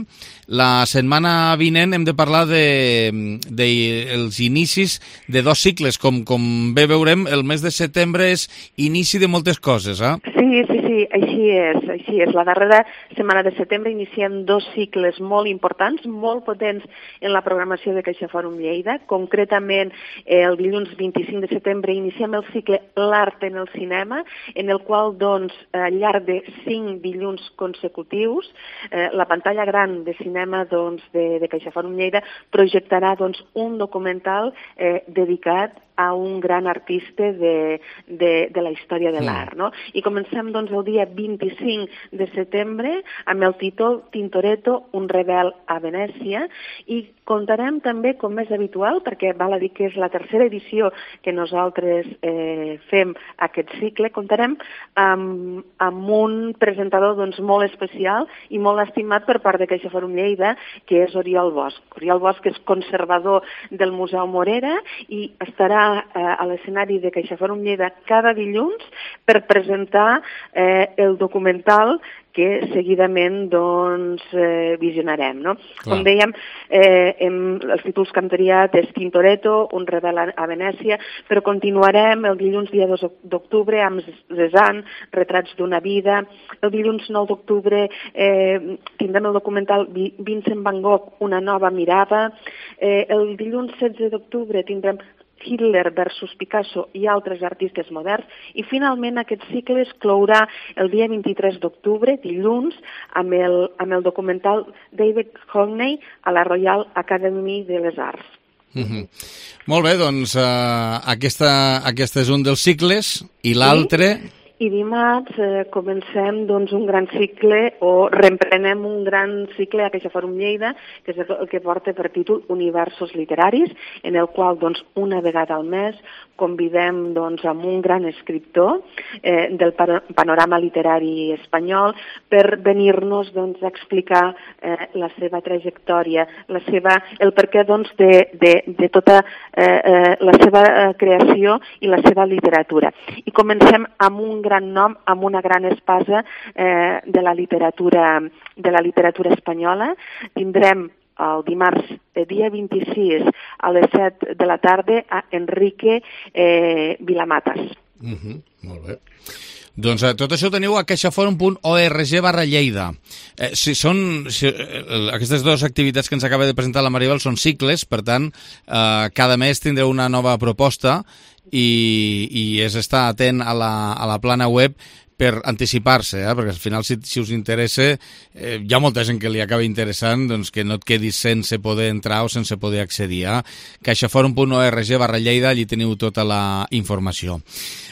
la setmana vinent hem de parlar de, de els inicis de dos cicles. Com, com bé veurem, el mes de setembre és inici de moltes coses, eh? Sí, sí, sí, així és, així és. La darrera setmana de setembre iniciem dos cicles molt importants, molt potents en la programació de CaixaForum Lleida. Concretament, el dilluns vint-i-cinc de setembre iniciem el cicle L'Art en el Cinema, en el qual, doncs, al llarg de cinc dilluns consecutius, eh, la pantalla gran de cinema doncs, de, de CaixaForum Lleida projectarà doncs, un documental eh, dedicat a un gran artista de, de, de la història de l'art, no? I comencem doncs, el dia vint-i-cinc de setembre amb el títol Tintoretto, un rebel a Venècia, i contarem també, com és habitual, perquè val a dir que és la tercera edició que nosaltres eh, fem aquest cicle, contarem amb, amb un presentador doncs, molt especial i molt estimat per part de CaixaForum Lleida, que és Oriol Bosch. Oriol Bosch és conservador del Museu Morera i estarà a l'escenari de CaixaForum Lleida cada dilluns per presentar eh, el documental que seguidament doncs, eh, visionarem. No? Com dèiem, eh, hem, els títols que hem triat és Tintoretto, un rebel a, a Venècia, però continuarem el dilluns dia dos d'octubre amb Cézanne, Retrats d'una vida. El dilluns nou d'octubre eh, tindrem el documental Vincent Van Gogh, una nova mirada. Eh, el dilluns setze d'octubre tindrem Hitler versus Picasso i altres artistes moderns, i finalment aquest cicle es clourà el dia vint-i-tres d'octubre, dilluns, amb el, amb el documental David Hockney a la Royal Academy de les Arts. Mm-hmm. Molt bé, doncs uh, aquesta, aquesta és un dels cicles, i l'altre... Sí? I dimarts eh, comencem doncs, un gran cicle, o reemprenem un gran cicle a CaixaForum Lleida, que és el que porta per títol Universos literaris, en el qual doncs, una vegada al mes convidem doncs, amb un gran escriptor eh, del panorama literari espanyol per venir-nos doncs, a explicar eh, la seva trajectòria, la seva, el perquè doncs, de, de, de tota eh, eh, la seva eh, creació i la seva literatura. I comencem amb un gran nom, amb una gran espasa eh, de la literatura de la literatura espanyola. Tindrem el dimarts, el dia vint-i-sis, a les set de la tarda, a Enrique eh, Vilamatas. Mm-hmm, molt bé. Doncs eh, tot això ho teniu a caixaforum punt org barra Lleida. Eh, si són, si, eh, aquestes dues activitats que ens acaba de presentar la Maribel són cicles, per tant, eh, cada mes tindreu una nova proposta i, i és estar atent a la, a la plana web per anticipar-se, eh? Perquè al final, si, si us interessa, eh, hi ha molta gent que li acaba interessant, doncs que no et quedis sense poder entrar o sense poder accedir. Eh? caixaforum punt org barra Lleida, allí teniu tota la informació.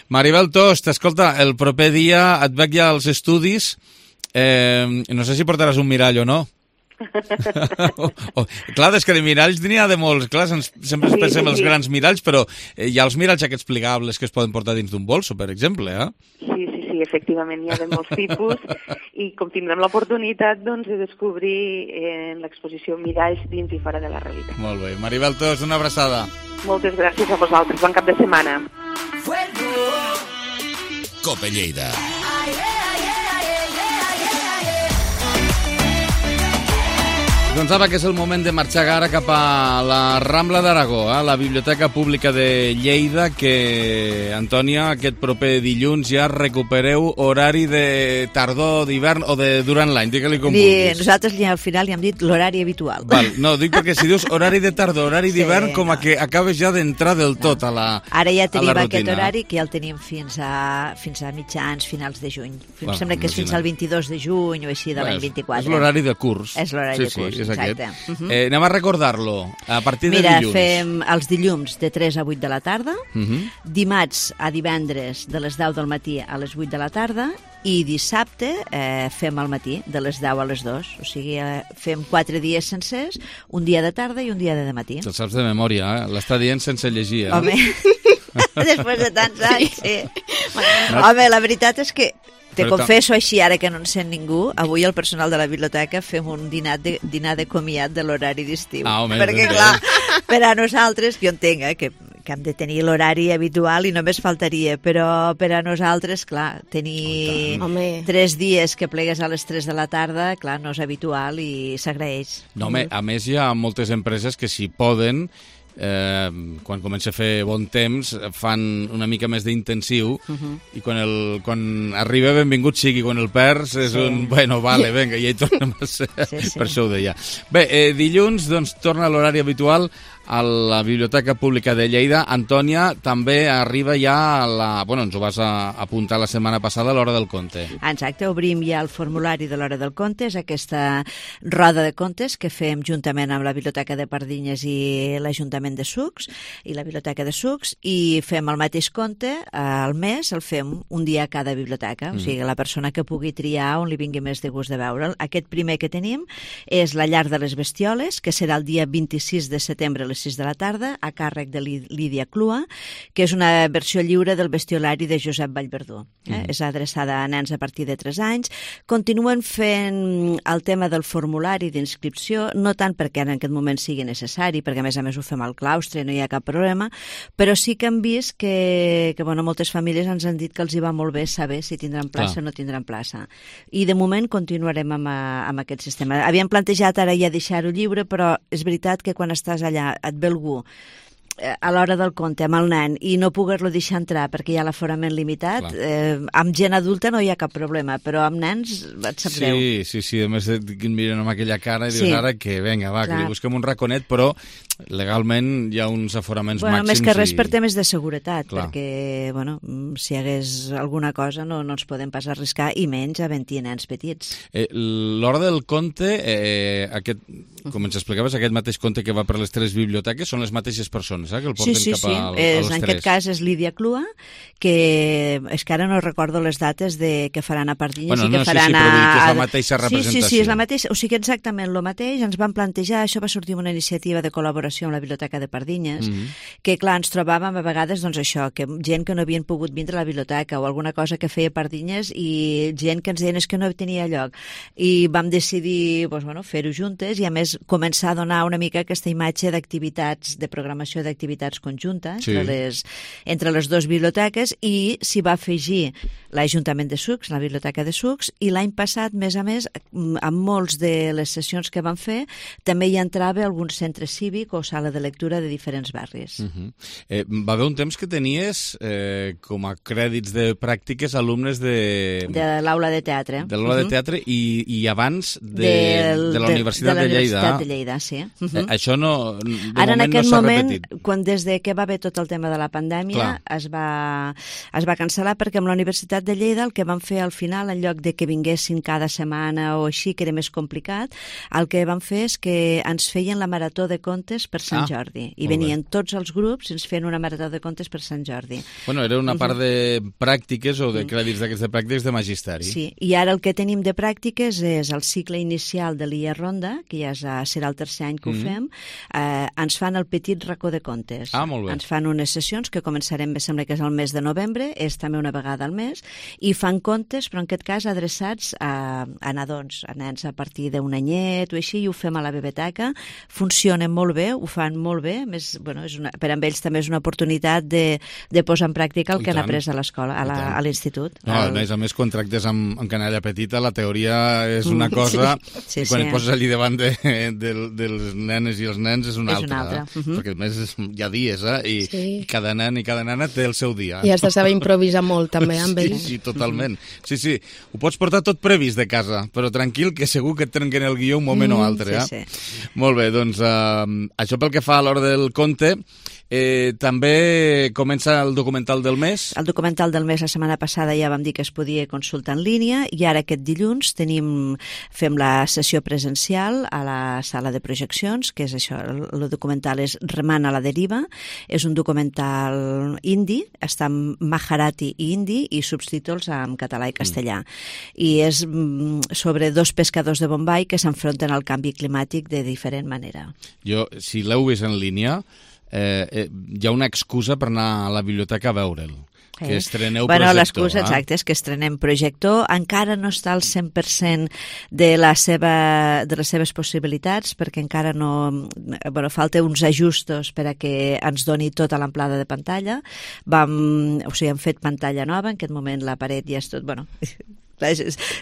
Maribel Tost, escolta, el proper dia et veig ja als estudis, eh, no sé si portaràs un mirall o no. oh, oh. Clar, és que de miralls n'hi ha de molts. Clar, sempre sí, pensem sí, els sí. grans miralls, però hi ha els miralls aquests plegables que es poden portar dins d'un bolso, per exemple, eh? Sí, sí, sí, efectivament, hi ha de molts tipus i com tindrem l'oportunitat doncs, de descobrir en l'exposició miralls dins i fora de la realitat. Molt bé. Maribel Tost, una abraçada. Moltes gràcies a vosaltres. Bon cap de setmana. COPE Lleida. Doncs ara que és el moment de marxar ara cap a la Rambla d'Aragó, eh? La Biblioteca Pública de Lleida, que, Antònia, aquest proper dilluns ja recupereu horari de tardor, d'hivern o de durant l'any, digue-li com Li, vulguis. nosaltres li, al final li hem dit l'horari habitual. Val, no, dic perquè si dius horari de tardor, horari d'hivern, sí, com a que acabes ja d'entrar del tot a la rutina. Ara ja tenim aquest horari, que ja el tenim fins a, fins a mitjans, finals de juny. Em sembla que és fins al vint-i-dos de juny o així de l'any vint-i-quatre. És l'horari de curs. És l'horari sí, de curs, sí, és exacte. Aquest. Uh-huh. eh, anem a recordar-lo. A partir de Mira, dilluns. fem els dilluns de tres a vuit de la tarda, Uh-huh. dimarts a divendres de les deu del matí a les vuit de la tarda i dissabte eh, fem al matí de les deu a les dos. O sigui, eh, fem quatre dies sencers, un dia de tarda i un dia de matí. Te'l saps de memòria, eh? L'està dient sense llegir. Eh? Home, després de tants anys, sí. Home, la veritat és que te Però confesso així, ara que no en sent ningú, avui el personal de la biblioteca fem un dinar de, dinar de comiat de l'horari d'estiu. Ah, home, perquè, ben clar, per a nosaltres, jo entenc eh, que, que hem de tenir l'horari habitual i només faltaria, però per a nosaltres, clar, tenir tres dies que plegues a les tres de la tarda, clar, no és habitual i s'agraeix. No, home, a més hi ha moltes empreses que si poden, eh, quan comença a fer bon temps, fan una mica més d'intensiu Uh-huh. i quan, el, quan arriba benvingut sigui, quan el perds és Sí. un, bueno, vale, venga, i ja hi tornem a ser. Sí, sí. Per això ho deia. Bé, eh, dilluns doncs torna a l'horari habitual a la Biblioteca Pública de Lleida. Antònia, també arriba ja a la... Bueno, ens ho vas a apuntar la setmana passada a l'Hora del Conte. Exacte, obrim ja el formulari de l'Hora del Conte, és aquesta roda de contes que fem juntament amb la Biblioteca de Pardinyes i l'Ajuntament de Sucs i la Biblioteca de Sucs, i fem el mateix conte al mes, el fem un dia a cada biblioteca, Mm. o sigui, la persona que pugui triar on li vingui més de gust de veure'l. Aquest primer que tenim és La llar de les bestioles, que serà el dia vint-i-sis de setembre a les sis de la tarda, a càrrec de Lí- Lídia Clua, que és una versió lliure del bestiolari de Josep Vallverdú. Eh? Mm. És adreçada a nens a partir de tres anys. Continuen fent el tema del formulari d'inscripció, no tant perquè en aquest moment sigui necessari, perquè a més a més ho fem al claustre, no hi ha cap problema, però sí que hem vist que, que bueno, moltes famílies ens han dit que els hi va molt bé saber si tindran plaça Clar. o no tindran plaça. I de moment continuarem amb, a- amb aquest sistema. Havíem plantejat ara ja deixar-ho lliure, però és veritat que quan estàs allà et ve algú eh, a l'hora del conte amb el nen i no poder-lo deixar entrar perquè hi ha l'aforament limitat, eh, amb gent adulta no hi ha cap problema, però amb nens et sap greu. Sí, sí, sí, a més et miren amb aquella cara i dius Sí. ara que venga, va, que Clar. li busquem un raconet, però legalment hi ha uns aforaments Bueno, màxims. més que res i... per temes de seguretat, Clar. perquè bueno, mm, si hi hagués alguna cosa no, no ens podem pas arriscar, i menys havent-hi nens petits. Eh, L'Hora del Conte, eh, aquest, com ens explicaves, aquest mateix conte que va per les tres biblioteques, són les mateixes persones, eh, que el porten Sí, sí, cap sí. a, a És, les en tres. aquest cas és Lídia Clua, que és que ara no recordo les dates de que faran a Pardinyes Bueno, i que no, sí, faran sí, però vull dir que és a... la mateixa Sí, sí, sí, representació. és la mateixa, o sigui, exactament el mateix. Ens van plantejar, això va sortir una iniciativa de col·laboració amb la Biblioteca de Pardinyes, Mhm. que clar, ens trobàvem a vegades doncs això, que gent que no havien pogut vindre a la biblioteca o alguna cosa que feia Pardinyes i gent que ens deien és que no tenia lloc. I vam decidir doncs, bueno, fer-ho juntes i a més començar a donar una mica aquesta imatge d'activitats, de programació d'activitats conjunta Sí. entre, les, entre les dues biblioteques, i s'hi va afegir l'Ajuntament de Sucs, la Biblioteca de Sucs, i l'any passat, més a més, amb molts de les sessions que van fer, també hi entrava algun centre cívic o sala de lectura de diferents barris. Uh -huh. eh, va haver un temps que tenies eh, com a crèdits de pràctiques alumnes de... De l'aula de teatre. de l'aula de Mhm. teatre i, i abans de, Del- de la Universitat de, de, la Lleida. Universitat de Lleida, sí. Uh Eh, -huh. això no, de Ara, en moment aquest no s'ha moment, repetit. quan des de que va haver tot el tema de la pandèmia, es va, es va cancel·lar perquè amb la Universitat de Lleida el que van fer al final, en lloc de que vinguessin cada setmana o així, que era més complicat, el que van fer és que ens feien la marató de contes per Sant Ah, Jordi. I molt bé. venien tots els grups i ens feien una marató de contes per Sant Jordi. Bueno, era una part Mhm. de pràctiques o de crèdits d'aquests de pràctiques de magisteri. Sí, i ara el que tenim de pràctiques és el cicle inicial de l'I A Ronda, que ja és, serà el tercer any que ho Mhm. fem, eh, ens fan el petit racó de contes. contes. Ah, molt bé. Ens fan unes sessions que començarem, me sembla que és el mes de novembre, és també una vegada al mes, i fan contes, però en aquest cas adreçats a, a nadons, a nens a partir d'un anyet o així, i ho fem a la biblioteca. Funcionen molt bé, ho fan molt bé, més, bueno, és una, per a ells també és una oportunitat de, de posar en pràctica el I que tant. han après a l'escola, a la- a l'institut. No, a El- més a més, quan tractes amb, amb canalla petita, la teoria és una cosa, Sí, sí, i quan sí. et poses allí davant de, de, dels nenes i els nens és una És altra. una altra, eh? mhm. Perquè a més és, hi ha dies, eh? I, Sí. i cada nen i cada nena té el seu dia. I has de saber improvisar molt, també, amb Sí, ells. sí, totalment. Sí, sí, ho pots portar tot previst de casa, però tranquil, que segur que et trenquen el guió un moment Mm, o altre. sí, Eh? Molt bé, doncs eh, això pel que fa a l'hora del conte. Eh, també comença el documental del mes. El documental del mes la setmana passada ja vam dir que es podia consultar en línia i ara aquest dilluns tenim, fem la sessió presencial a la sala de projeccions, que és això, el, el documental és Remant a la deriva, és un documental indi, està en Maharati i hindi i subtítols en català i castellà. I és mm, sobre dos pescadors de Bombay que s'enfronten al canvi climàtic de diferent manera. Jo, si l'heu vist en línia, eh, eh, hi ha una excusa per anar a la biblioteca a veure'l. Que estreneu bueno, projector. l'excusa, eh? exacte, és que estrenem projector. Encara no està al cent per cent de, la seva, de les seves possibilitats, perquè encara no... Bueno, falta uns ajustos per a que ens doni tota l'amplada de pantalla. Vam, o sigui, hem fet pantalla nova, en aquest moment la paret ja és tot... Bueno,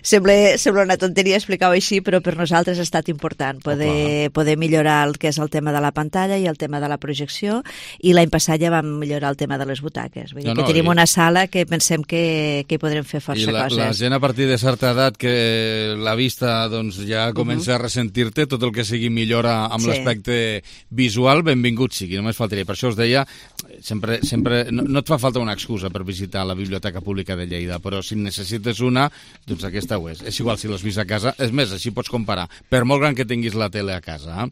sembla, sembla una tonteria explicar-ho així, però per nosaltres ha estat important poder, poder millorar el que és el tema de la pantalla i el tema de la projecció, i l'any passat ja vam millorar el tema de les butaques. Vull dir No, no, que tenim i- una sala que pensem que, que hi podrem fer força I la, coses. la gent a partir de certa edat que la vista doncs, ja comença Mhm. a ressentir-te, tot el que sigui millora amb Sí. l'aspecte visual, benvingut sigui, només faltaria. Per això us deia, sempre, sempre no, no et fa falta una excusa per visitar la Biblioteca Pública de Lleida, però si necessites una, doncs aquesta ho és. És igual si l'has vist a casa, és més, així pots comparar, per molt gran que tinguis la tele a casa.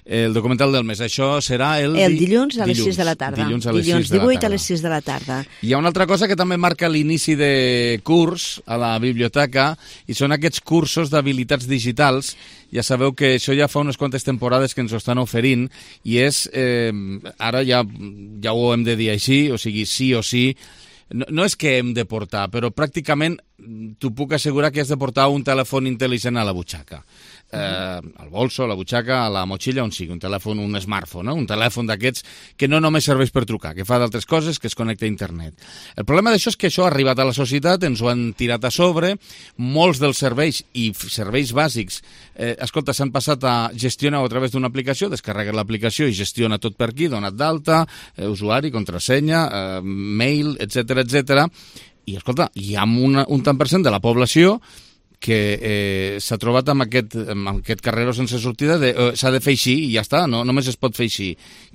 Eh? El documental del mes, això serà el... El di- dilluns a les sis de la tarda. Dilluns a les dilluns sis de la divuit tarda. a les sis de la tarda. Hi ha una altra cosa que també marca l'inici de curs a la biblioteca i són aquests cursos d'habilitats digitals. Ja sabeu que això ja fa unes quantes temporades que ens ho estan oferint i és, eh, ara ja, ja ho hem de dir així, o sigui, sí o sí, no, no és que hem de portar, però pràcticament t'ho puc assegurar que has de portar un telèfon intel·ligent a la butxaca. Eh, al bolso, a la butxaca, a la motxilla, on sigui, un telèfon, un smartphone, no? Un telèfon d'aquests que no només serveix per trucar, que fa d'altres coses, que es connecta a internet. El problema d'això és que això ha arribat a la societat, ens ho han tirat a sobre, molts dels serveis i f- serveis bàsics, eh, escolta, s'han passat a gestionar a través d'una aplicació, descarregues l'aplicació i gestiona tot per aquí, donat d'alta, eh, usuari, contrasenya, eh, mail, etcètera, etcètera. I, escolta, hi ha una, un tant per cent de la població que eh, s'ha trobat amb aquest, amb aquest carreró sense sortida de eh, s'ha de fer així i ja està, no, només es pot fer així.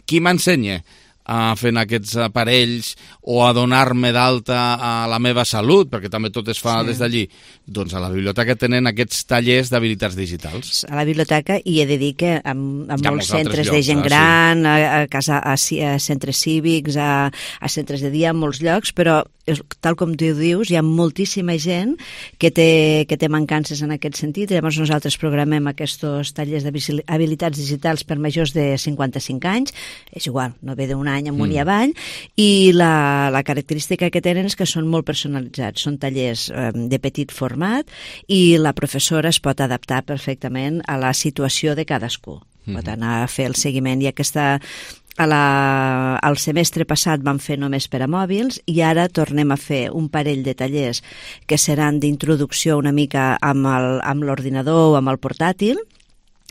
Qui m'ensenya a fer aquests aparells o a donar-me d'alta a la meva salut, perquè també tot es fa Sí. des d'allí? Doncs a la biblioteca tenen aquests tallers d'habilitats digitals. A la biblioteca, i he de dir que amb, amb Hi ha molts molts altres centres llocs, de gent eh? Sí. gran, a, a, casa, a, ci- a centres cívics, a, a centres de dia, en molts llocs, però és, tal com tu dius, hi ha moltíssima gent que té, que té mancances en aquest sentit. Llavors nosaltres programem aquests tallers d'habilitats digitals per majors de cinquanta-cinc anys, és igual, no ve d'un any amunt Mm. i avall, i la, la característica que tenen és que són molt personalitzats, són tallers eh, de petit format i la professora es pot adaptar perfectament a la situació de cadascú. Mhm. Pot anar a fer el seguiment i aquesta... A la, al semestre passat vam fer només per a mòbils i ara tornem a fer un parell de tallers que seran d'introducció una mica amb el- amb l'ordinador o amb el portàtil,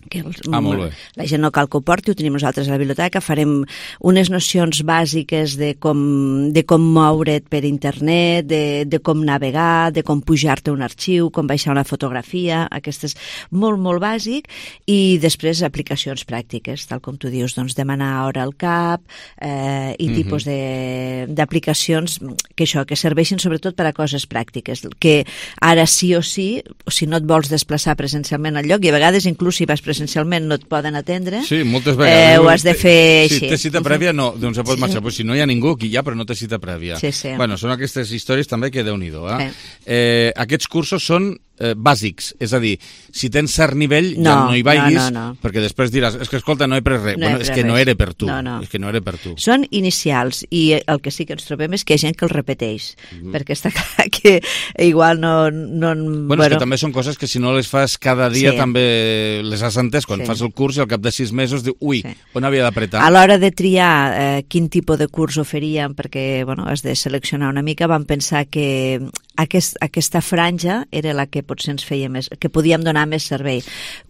que els, Ah, molt bé. la gent no cal que ho porti, ho tenim nosaltres a la biblioteca, farem unes nocions bàsiques de com, de com moure't per internet, de, de com navegar, de com pujar-te un arxiu, com baixar una fotografia, aquest és molt, molt bàsic, i després aplicacions pràctiques, tal com tu dius, doncs demanar hora al cap, eh, i Mhm. tipus de- d'aplicacions que això, que serveixin sobretot per a coses pràctiques, que ara sí o sí, o si no et vols desplaçar presencialment al lloc, i a vegades inclús si vas presencialment no et poden atendre, Sí, moltes vegades. eh, ho has de fer Si així. té cita prèvia, no, doncs se pot marxar. Pues si no hi ha ningú, aquí hi ha, però no té cita prèvia. Sí, sí. Bueno, són aquestes històries també que Déu-n'hi-do. Eh? Sí. Eh, aquests cursos són eh, bàsics. És a dir, si tens cert nivell, no, ja no hi vagis, no, no, no. perquè després diràs, és que escolta, no he pres res. No bueno, és que no res. era per tu. No, no. És que no era per tu. Són inicials, i el que sí que ens trobem és que hi ha gent que els repeteix, mm. perquè està clar que igual no... no bueno, bueno, és que també són coses que si no les fas cada dia sí. també les has entès. Quan sí. fas el curs i al cap de sis mesos diu, ui, sí. on havia d'apretar? A l'hora de triar eh, quin tipus de curs oferíem, perquè bueno, has de seleccionar una mica, vam pensar que aquest, aquesta franja era la que potser ens feia més, que podíem donar més servei.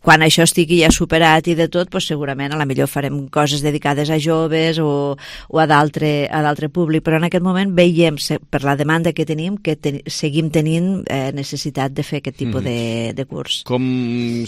Quan això estigui ja superat i de tot, doncs segurament a la millor farem coses dedicades a joves o, o a d'altre públic, però en aquest moment veiem, per la demanda que tenim, que ten, seguim tenint eh, necessitat de fer aquest tipus mm. de, de curs. Com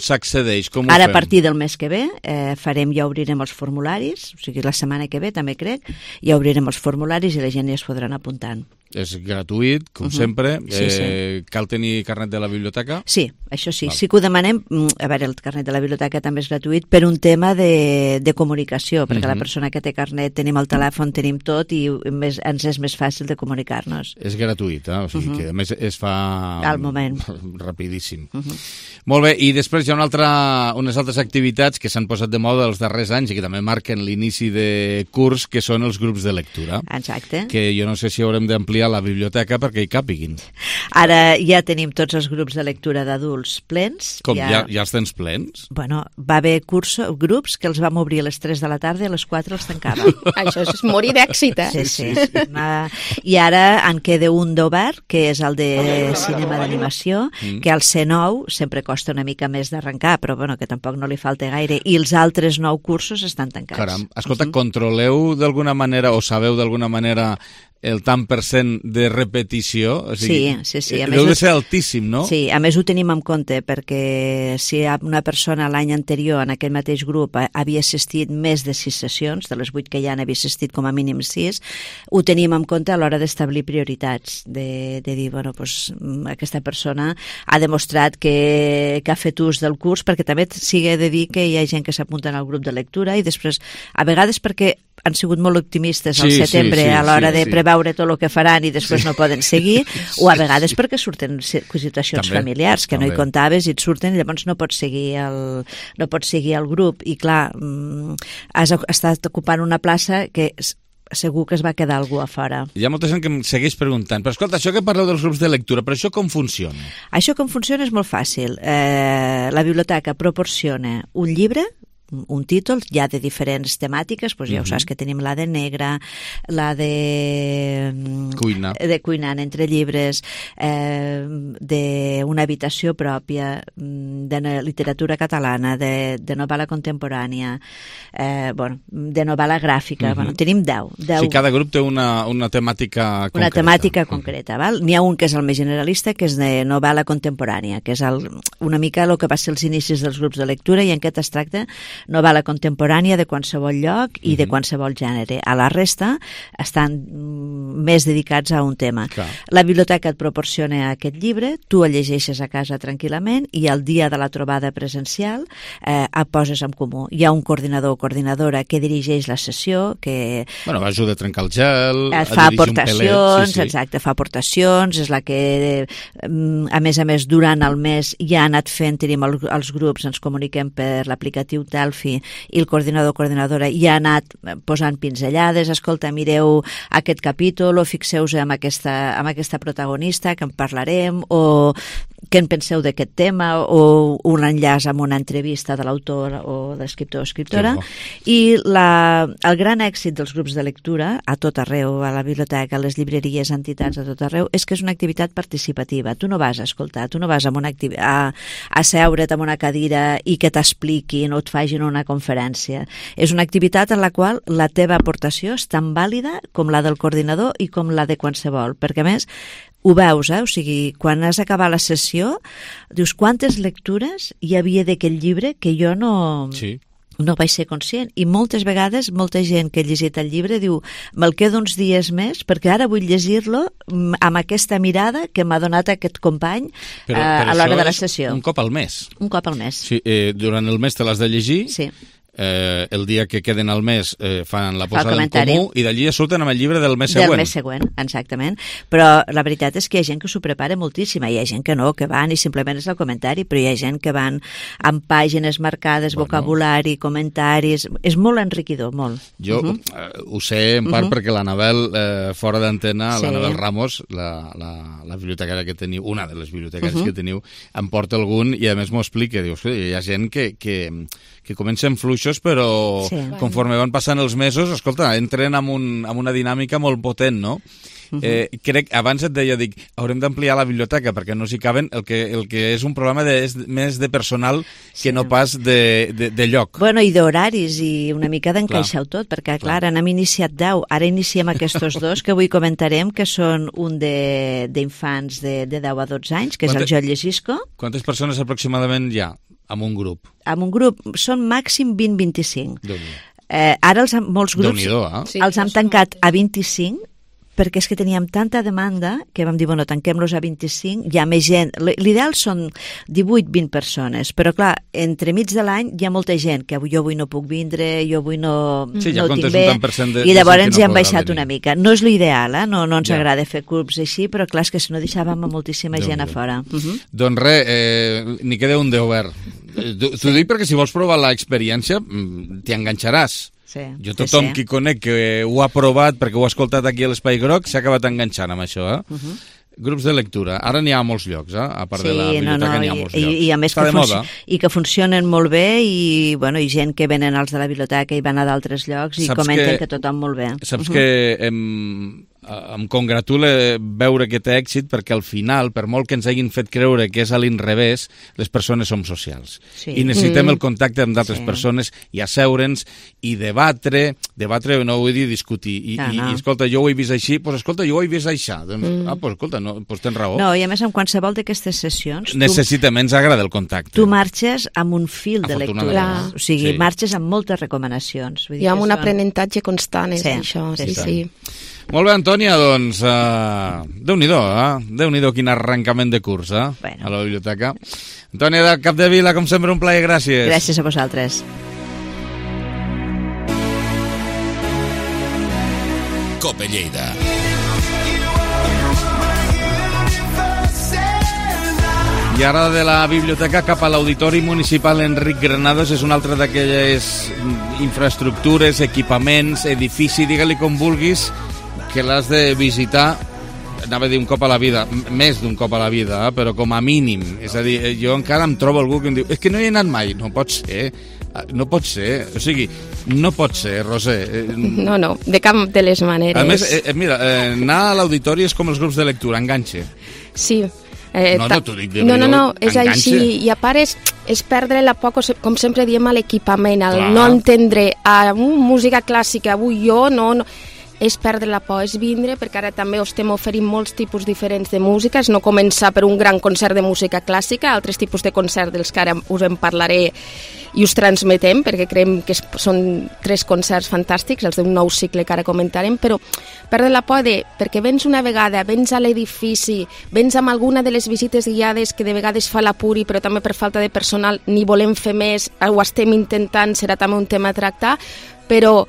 s'accedeix? Com Ara, ho fem? A partir del mes que ve, eh, farem, ja obrirem els formularis, o sigui, la setmana que ve, també crec, ja obrirem els formularis i la gent ja es podran apuntant. És gratuït, com uh-huh. sempre. Sí, sí. Eh, cal tenir carnet de la biblioteca? Sí, això sí. Val. Sí que ho demanem. A veure, el carnet de la biblioteca també és gratuït per un tema de, de comunicació, perquè uh-huh. la persona que té carnet tenim el telèfon, tenim tot i més, ens és més fàcil de comunicar-nos. És gratuït, eh? O sigui uh-huh. que a més es fa... Al moment. Rapidíssim. Uh-huh. Molt bé, i després hi ha una altra, unes altres activitats que s'han posat de moda els darrers anys i que també marquen l'inici de curs, que són els grups de lectura. Exacte. Que jo no sé si haurem d'ampliar la biblioteca perquè hi càpiguin. Ara ja tenim tots els grups de lectura d'adults plens. Com, ja... ja, ja els tens plens? Bueno, va haver curso, grups que els vam obrir a les tres de la tarda i a les quatre els tancàvem. Això és morir d'èxit, eh? Sí, sí. sí, sí. Uh, I ara en queda un d'obert, que és el de cinema d'animació, mm. que al C nou sempre costa una mica més d'arrencar, però bueno, que tampoc no li falta gaire, i els altres nou cursos estan tancats. Caram, escolta, uh-huh. controleu d'alguna manera o sabeu d'alguna manera el tant per cent de repetició? O sigui, sí, sí, sí. A deu més, de ser altíssim, no? Sí, a més ho tenim en compte, perquè si una persona l'any anterior en aquell mateix grup havia assistit més de sis sessions, de les vuit que hi ha n'havia assistit com a mínim sis, ho tenim en compte a l'hora d'establir prioritats, de, de dir, bueno, doncs, aquesta persona ha demostrat que, que ha fet ús del curs, perquè també sigui de dir que hi ha gent que s'apunta al grup de lectura i després, a vegades perquè han sigut molt optimistes al sí, setembre sí, sí, a l'hora sí, de sí. preveure tot el que faran i després sí. no poden seguir, o a vegades perquè surten situacions també, familiars que també. no hi comptaves i et surten i llavors no pots seguir el, no pots seguir el grup i clar, has estat ocupant una plaça que segur que es va quedar algú a fora. Hi ha molta gent que em segueix preguntant, però escolta, això que parleu dels grups de lectura, però això com funciona? Això com funciona és molt fàcil. Eh, la biblioteca proporciona un llibre, un títol, ja de diferents temàtiques, doncs ja ho saps que tenim la de negra, la de... Cuina. De cuinant entre llibres, eh, d'una habitació pròpia, de literatura catalana, de, de novel·la contemporània, eh, bueno, de novel·la gràfica, uh-huh. bueno, tenim deu. deu. O sigui, cada grup té una, una temàtica concreta. Una temàtica concreta, uh-huh. val? N'hi ha un que és el més generalista, que és de novel·la contemporània, que és el, una mica el que va ser els inicis dels grups de lectura i en què es tracta novel·la contemporània de qualsevol lloc i uh-huh. de qualsevol gènere. A la resta estan més dedicats a un tema. Clar. La biblioteca et proporciona aquest llibre, tu el llegeixes a casa tranquil·lament i el dia de la trobada presencial eh, et poses en comú. Hi ha un coordinador o coordinadora que dirigeix la sessió, que... Bueno, ajuda a trencar el gel, et a fa dirigir aportacions, un pelet. Sí, sí. Exacte, fa aportacions, és la que, a més a més, durant el mes ja ha anat fent, tenim el, els grups, ens comuniquem per l'aplicatiu Telfi i el coordinador o coordinadora ja ha anat posant pinzellades, escolta, mireu aquest capítol o fixeu-vos en aquesta, en aquesta protagonista que en parlarem, o què en penseu d'aquest tema, o un enllaç amb una entrevista de l'autor o de l'escriptor o escriptora. I la, el gran èxit dels grups de lectura a tot arreu, a la biblioteca, a les llibreries, entitats, a tot arreu, és que és una activitat participativa. Tu no vas a escoltar, tu no vas a, una activi- a, a seure't en una cadira i que t'expliquin o et facin una conferència. És una activitat en la qual la teva aportació és tan vàlida com la del coordinador i com la de qualsevol, perquè a més ho veus, eh? O sigui, quan has acabat la sessió, dius quantes lectures hi havia d'aquest llibre que jo no... Sí. no vaig ser conscient, i moltes vegades molta gent que ha llegit el llibre diu me'l quedo uns dies més perquè ara vull llegir-lo amb aquesta mirada que m'ha donat aquest company però, eh, però a l'hora de la és sessió. un cop al mes. Un cop al mes. Sí, eh, durant el mes te l'has de llegir. Sí. eh, el dia que queden al mes eh, fan la posada en comentari. comú i d'allí ja surten amb el llibre del mes següent. Del mes següent, exactament. Però la veritat és que hi ha gent que s'ho prepara moltíssim, hi ha gent que no, que van i simplement és el comentari, però hi ha gent que van amb pàgines marcades, bueno. vocabulari, comentaris... És molt enriquidor, molt. Jo uh -huh. eh, ho sé en part uh -huh. perquè l'Anabel, eh, fora d'antena, sí. l'Anabel Ramos, la, la, la bibliotecària que teniu, una de les bibliotecàries uh -huh. que teniu, em porta algun i a més m'ho explica. Dius, hi ha gent que, que, que comencen fluixos, però sí. conforme van passant els mesos, escolta, entren amb, un, amb una dinàmica molt potent, no? Uh -huh. eh, crec, abans et deia, dic, haurem d'ampliar la biblioteca perquè no s'hi caben, el que, el que és un problema de, és més de personal sí. que no pas de, de, de lloc. Bueno, i d'horaris i una mica d'encaixar-ho tot, perquè, clar, clar, n'hem iniciat deu, ara iniciem aquests dos que avui comentarem, que són un d'infants de, de, de deu a dotze anys, que Quantes, és el Joel Llegisco. Quantes persones aproximadament hi ha amb un grup? Amb un grup són màxim vint a vint-i-cinc. Eh, ara els, molts grups eh? els hem tancat a vint-i-cinc, perquè és que teníem tanta demanda que vam dir, bueno, tanquem-los a vint-i-cinc, hi ha més gent. L'ideal són divuit vint persones, però clar, entremig de l'any hi ha molta gent que jo avui no puc vindre, jo avui no, sí, no ja ho tinc bé, de, i llavors ens no hi hem baixat venir. una mica. No és l'ideal, eh? no, no ens ja. agrada fer clubs així, però clar, és que si no deixàvem a moltíssima Déu gent Déu. a fora. Uh -huh. Doncs res, eh, n'hi queda un d'obert. T'ho sí. dic perquè si vols provar l'experiència, t'hi enganxaràs. Sí, jo tothom sí, sí. qui conec que ho ha provat perquè ho ha escoltat aquí a l'Espai Groc s'ha acabat enganxant amb això, eh? Uh -huh. Grups de lectura. Ara n'hi ha molts llocs, eh? A part sí, de la biblioteca no, no, n'hi ha molts i, llocs. I, i a més Està que de moda. I que funcionen molt bé i, bueno, i gent que venen als de la biblioteca i van a d'altres llocs i saps comenten que, que tothom molt bé. Saps uh -huh. que em, em congratula veure que té èxit perquè al final, per molt que ens hagin fet creure que és a l'inrevés, les persones som socials. Sí. I necessitem mm. el contacte amb d'altres sí. persones i asseure'ns i debatre, debatre no vull dir discutir, i, ah, no. i, i escolta, jo ho he vist així, doncs escolta, jo ho he vist així. Doncs, mm. ah, doncs escolta, no, doncs tens raó. No, i a més, en qualsevol d'aquestes sessions... Necessitem, tu, ens agrada el contacte. Tu marxes amb un fil de lectura. O sigui, sí. marxes amb moltes recomanacions. Vull dir I amb un són... aprenentatge constant, és sí. això. Sí, sí. sí. Molt bé, Antònia, doncs, uh, Déu-n'hi-do, eh? Déu-n'hi-do quin arrencament de curs, eh? Bueno. A la biblioteca. Antònia de Capdevila, com sempre, un plaer, gràcies. Gràcies a vosaltres. Cope Lleida. I ara de la biblioteca cap a l'Auditori Municipal Enric Granados és una altra d'aquelles infraestructures, equipaments, edifici, digue-li com vulguis, que l'has de visitar, anava a dir un cop a la vida, més d'un cop a la vida, eh? Però com a mínim. És a dir, jo encara em trobo algú que em diu és que no hi he anat mai. No pot ser, no pot ser. O sigui, no pot ser, Roser. No, no, de cap de les maneres. A més, eh, mira, eh, anar a l'auditori és com els grups de lectura, enganxe. Sí. Eh, no, no, t'ho dic de no, no, no, és enganxa. així. I a part és, és perdre la por, com sempre diem, a l'equipament, al no entendre a uh, música clàssica, avui jo no... no és perdre la por, és vindre, perquè ara també us estem oferint molts tipus diferents de música, és no començar per un gran concert de música clàssica, altres tipus de concert dels que ara us en parlaré i us transmetem, perquè creiem que són tres concerts fantàstics, els d'un nou cicle que ara comentarem, però perdre la por de, perquè vens una vegada, vens a l'edifici, vens amb alguna de les visites guiades que de vegades fa l'Apuri, però també per falta de personal ni volem fer més, ho estem intentant, serà també un tema a tractar, però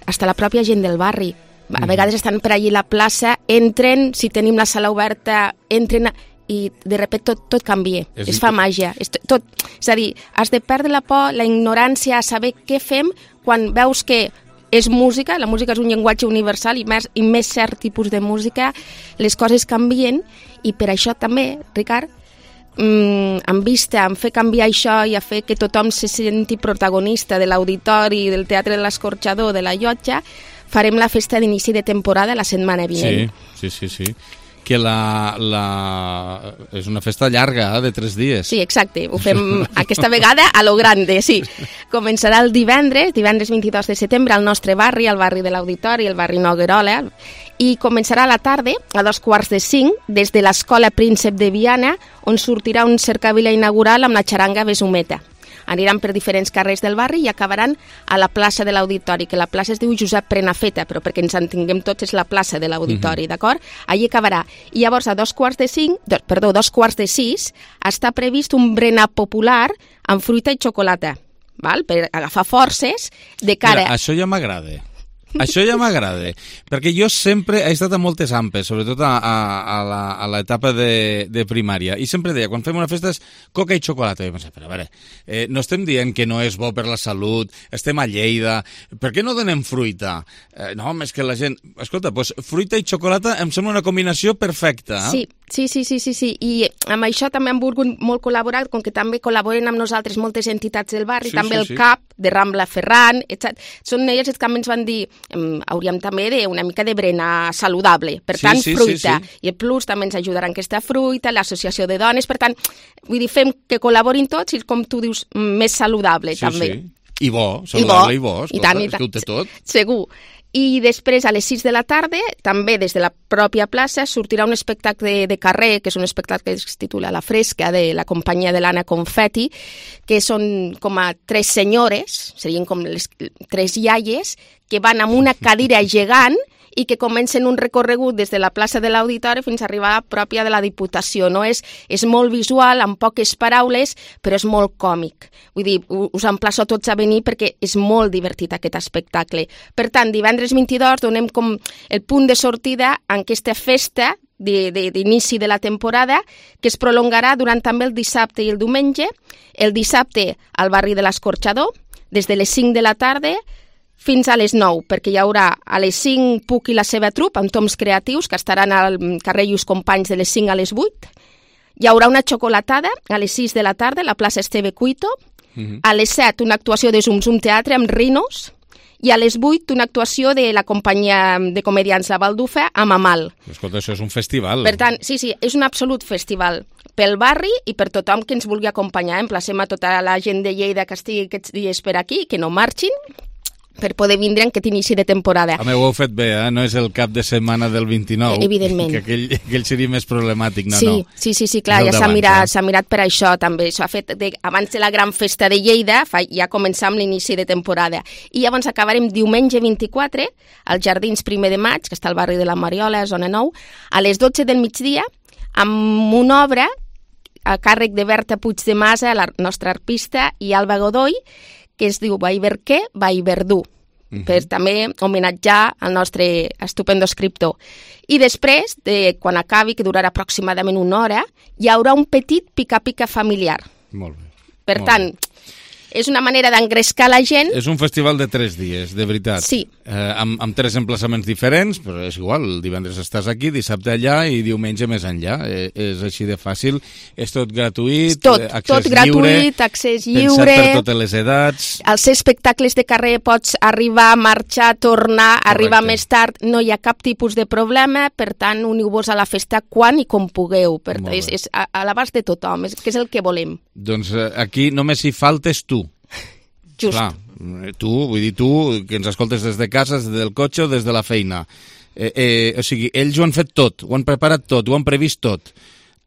hasta la pròpia gent del barri, a vegades estan per allí a la plaça, entren, si tenim la sala oberta, entren i de repente tot, tot canvia, és es fa màgia. És, tot, és a dir, has de perdre la por, la ignorància, a saber què fem quan veus que és música, la música és un llenguatge universal i més, i més cert tipus de música, les coses canvien i per això també, Ricard, mm, en vista, en fer canviar això i a fer que tothom se senti protagonista de l'auditori, del Teatre de l'Escorxador, de la Llotja, farem la festa d'inici de temporada la setmana vinent. Sí, sí, sí, sí. Que la, la... és una festa llarga, eh, de tres dies. Sí, exacte. Ho fem aquesta vegada a lo grande, sí. Començarà el divendres, divendres vint-i-dos de setembre, al nostre barri, al barri de l'Auditori, el barri Noguerola, i començarà a la tarda, a dos quarts de cinc, des de l'Escola Príncep de Viana, on sortirà un cercavila inaugural amb la xaranga Besumeta. Aniran per diferents carrers del barri i acabaran a la plaça de l'Auditori, que la plaça es diu Josep Prenafeta, però perquè ens entenguem tots és la plaça de l'Auditori, mm-hmm. d'acord? Allí acabarà. I llavors a dos quarts de cinc, dos, perdó, dos quarts de sis, està previst un berenar popular amb fruita i xocolata. val? Per agafar forces de cara... Mira, això ja m'agrada. Això ja m'agrada, perquè jo sempre he estat a moltes ampes, sobretot a, a, a, la, a l'etapa de, de primària, i sempre deia, quan fem una festa és coca i xocolata. I pensava, però a veure, eh, no estem dient que no és bo per la salut, estem a Lleida, per què no donem fruita? Eh, no, és que la gent... Escolta, doncs fruita i xocolata em sembla una combinació perfecta. Eh? Sí, sí, sí, sí, sí, sí, i amb això també hem volgut molt col·laborar, com que també col·laboren amb nosaltres moltes entitats del barri, Sí, també sí, el sí. C A P de Rambla Ferran, etcètera. Són elles que també ens van dir em, hauríem també de una mica de berenar saludable, per Sí, tant, sí, sí, fruita. sí. I el Plus també ens ajudarà en aquesta fruita, l'associació de dones, per tant, vull dir, fem que col·laborin tots i, com tu dius, més saludable, Sí, també. sí. I bo, saludable i bo, I escolta, tant, i és que ho té tot. Segur. I després, a les sis de la tarda, també des de la pròpia plaça, sortirà un espectacle de carrer, que és un espectacle que es titula La Fresca, de la companyia de l'Anna Confetti, que són com a tres senyores, serien com les tres iaies, que van amb una cadira gegant i que comencen un recorregut des de la plaça de l'Auditori fins a arribar a la pròpia de la Diputació. No? És, és molt visual, amb poques paraules, però és molt còmic. Vull dir, us emplaço tots a venir perquè és molt divertit aquest espectacle. Per tant, divendres vint-i-dos donem com el punt de sortida en aquesta festa de, de, d'inici de la temporada, que es prolongarà durant també el dissabte i el diumenge. El dissabte al barri de l'Escorxador, des de les cinc de la tarda fins a les nou, perquè hi haurà a les cinc Puc i la seva trup, amb toms creatius, que estaran al carrer Lluís Companys de les cinc a les vuit. Hi haurà una xocolatada a les sis de la tarda a la plaça Esteve Cuito. Mhm. A les set una actuació de Zum Zum Teatre amb Rinos. I a les vuit una actuació de la companyia de comedians La Baldufa amb Amal. Escolta, això és un festival. Per tant, sí, sí, és un absolut festival pel barri i per tothom que ens vulgui acompanyar. Emplacem a tota la gent de Lleida que estigui aquests dies per aquí, que no marxin, per poder vindre en aquest inici de temporada. A mi ho heu fet bé, eh? No és el cap de setmana del vint-i-nou. Evidentment. Que aquell, aquell seria més problemàtic, no, sí, no. Sí, sí, sí, clar, És el ja s'ha d'abans, mirat, eh? s'ha mirat per això també. S'ha fet de, abans de la gran festa de Lleida, fa, ja començam l'inici de temporada. I llavors acabarem diumenge vint-i-quatre, als Jardins primer de maig, que està al barri de la Mariola, zona nou, a les dotze del migdia, amb una obra a càrrec de Berta Puig de Masa, la nostra arpista, i Alba Godoy, que es diu Vallverquer, Vallverdú. Uh-huh. Per també homenatjar al nostre estupendo escriptor. I després, de, quan acabi, que durarà aproximadament una hora, hi haurà un petit pica-pica familiar. Molt bé. Per Molt tant, bé. és una manera d'engrescar la gent. És un festival de tres dies, de veritat. Sí. Eh, amb, amb tres emplaçaments diferents, però és igual, el divendres estàs aquí, dissabte allà i diumenge més enllà. Eh, és així de fàcil, és tot gratuït, Tot, accés tot lliure, gratuït, accés lliure. pensat per totes les edats. Als espectacles de carrer pots arribar, marxar, tornar, Correcte. arribar més tard, no hi ha cap tipus de problema, per tant, uniu-vos a la festa quan i com pugueu. Per tant, és, és a, a l'abast de tothom, és, que és el que volem. Doncs eh, aquí només hi faltes tu. Just. Clar, tu, vull dir tu, que ens escoltes des de casa, des del cotxe o des de la feina. Eh, eh, o sigui, ells ho han fet tot, ho han preparat tot, ho han previst tot.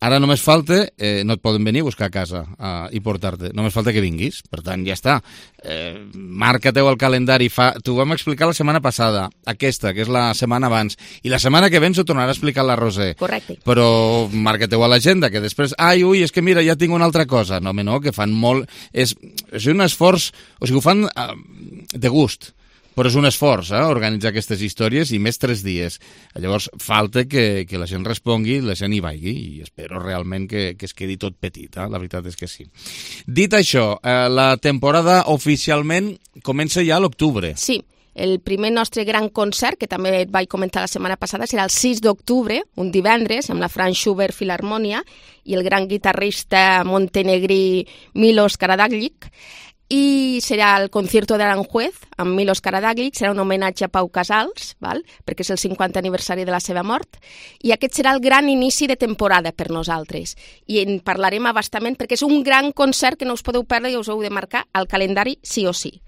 Ara només falta, eh, no et poden venir a buscar a casa uh, i portar-te, només falta que vinguis, per tant, ja està. Eh, marca-teu el calendari, fa... t'ho vam explicar la setmana passada, aquesta, que és la setmana abans, i la setmana que ve ens ho tornarà a explicar la Roser. Correcte. Però marca-teu a l'agenda, que després, ai, ui, és que mira, ja tinc una altra cosa. No, home, no, que fan molt... És, és un esforç, o sigui, ho fan uh, de gust. Però és un esforç, eh, organitzar aquestes històries i més tres dies. Llavors, falta que, que la gent respongui, la gent hi vagi i espero realment que, que es quedi tot petit, eh? La veritat és que sí. Dit això, eh, la temporada oficialment comença ja a l'octubre. Sí, el primer nostre gran concert, que també et vaig comentar la setmana passada, serà el sis d'octubre, un divendres, amb la Franz Schubert Filharmonia i el gran guitarrista montenegrí Milos Karađorđević. I serà el concierto de l'Aranjuez amb Milos Karađorđević, serà un homenatge a Pau Casals, val? Perquè és el cinquantè aniversari de la seva mort, i aquest serà el gran inici de temporada per nosaltres. I en parlarem abastament perquè és un gran concert que no us podeu perdre i us heu de marcar al calendari sí o sí.